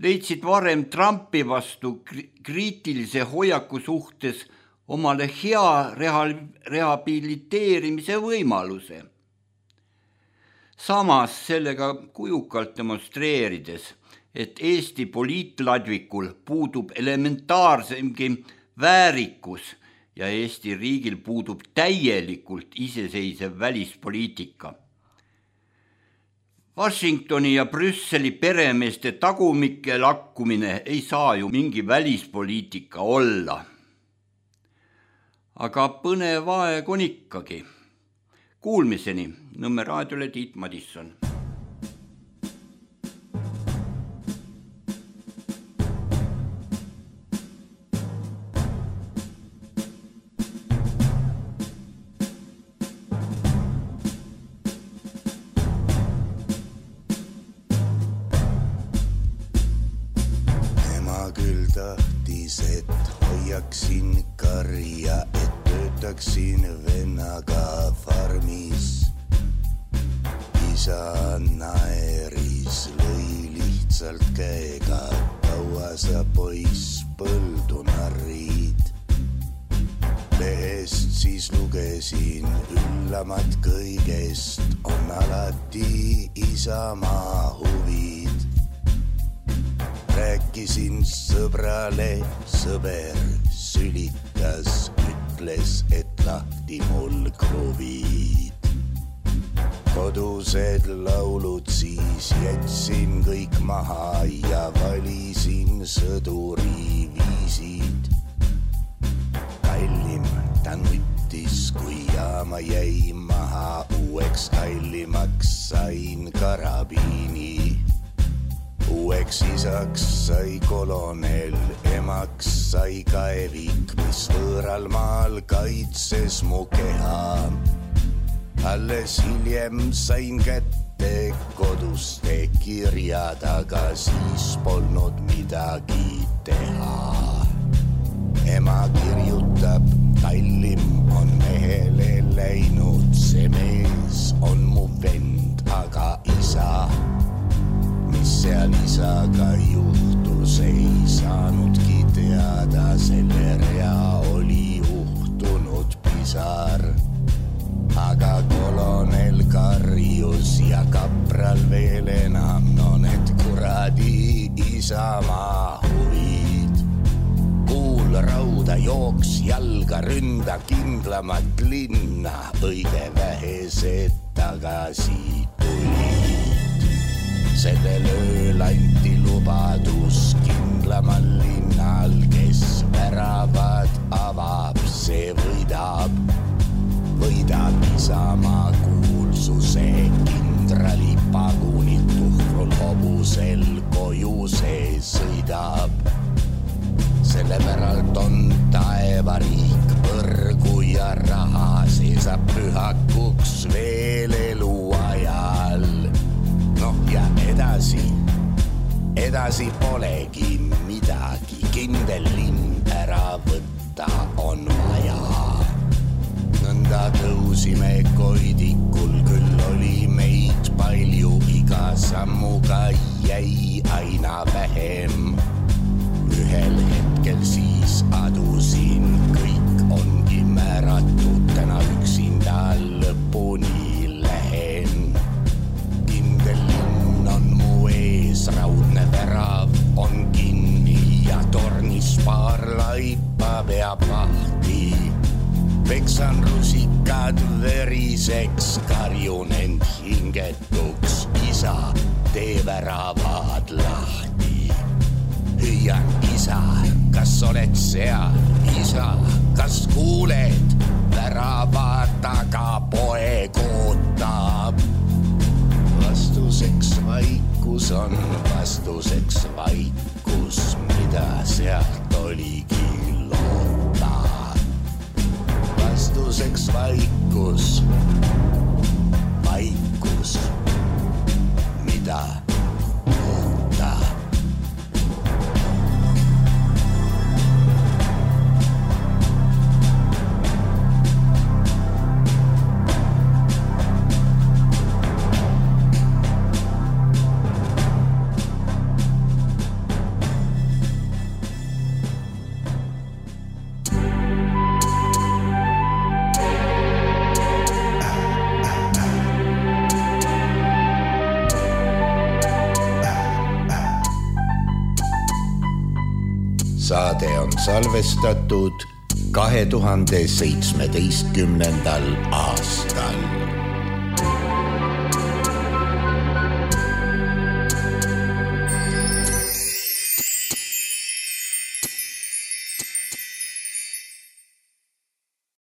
leidsid varem Trumpi vastu kriitilise hoiaku suhtes omale hea rehabiliteerimise võimaluse. Samas sellega kujukalt demonstreerides, et Eesti poliitladvikul puudub elementaarsemgi väärikus ja Eesti riigil puudub täielikult iseseisev välispoliitika. Washingtoni ja Brüsseli peremeeste tagumike lakkumine ei saa ju mingi välispoliitika olla. Aga põnev aeg on ikkagi. Kuulmiseni, Nõmme raadiole Tiit Madisson. Et hoiaksin karja, et töötaksin vennaga farmis. Isa naeris, lõi lihtsalt käega, kaua sa poiss põldu narrid. Lehest siis lugesin, üllamat kõigest on alati Isamaa huvid. Rääkisin sõbrale, sõber sülitas, ütles, et lahti mul kruvid. Kodused laulud siis jätsin kõik maha ja valisin sõduri viisid. Kallim ta nuttis, kui jaama jäi maha, uueks kallimaks sain karabiini. Uueks isaks sai kolonel, emaks sai kaevik, mis võõral maal kaitses mu keha. Alles hiljem sain kätte koduste kirjad, aga siis polnud midagi teha. Ema kirjutab, kallim on mehele läinud, see mees on mu vend, aga isa. Mis seal isaga juhtus, ei saanudki teada, selle rea oli uhtunud pisar. Aga kolonel karjus ja kapral veel enam, no need kuradi Isamaa huvid. Kuul rauda jooks jalga, ründa kindlamat linna, õige vähesed tagasi tulid. Sellel ööl anti lubadus kindlamal linnal, kes väravad avab, see võidab. Võidab Isamaa kuulsuse, kindrali pagunid tuhkrul hobusel koju see sõidab. Selle päralt on taevariik, põrgu ja raha, see saab pühakuks veel eluajal. Noh ja edasi polegi midagi, kindel linn ära võtta on vaja. Nõnda tõusime koidikul, küll oli meid palju, iga sammuga jäi aina vähem. Ühel hetkel siis adusin, kõik ongi määratud, täna üksinda lõpuni lähen. Linn on mu ees, raudne värav on kinni ja tornis paar laipa peab lahti. Peksan rusikad veriseks, karjun end hingetuks, isa, tee väravad lahti. Hüüan, isa, kas oled seal, isa, kas kuuled, värava taga poeg ootab. Vastuseks vaikus on, vastuseks vaikus, mida sealt oligi loota. Vastuseks vaikus, vaikus, mida loota. saade on salvestatud 2017. aastal.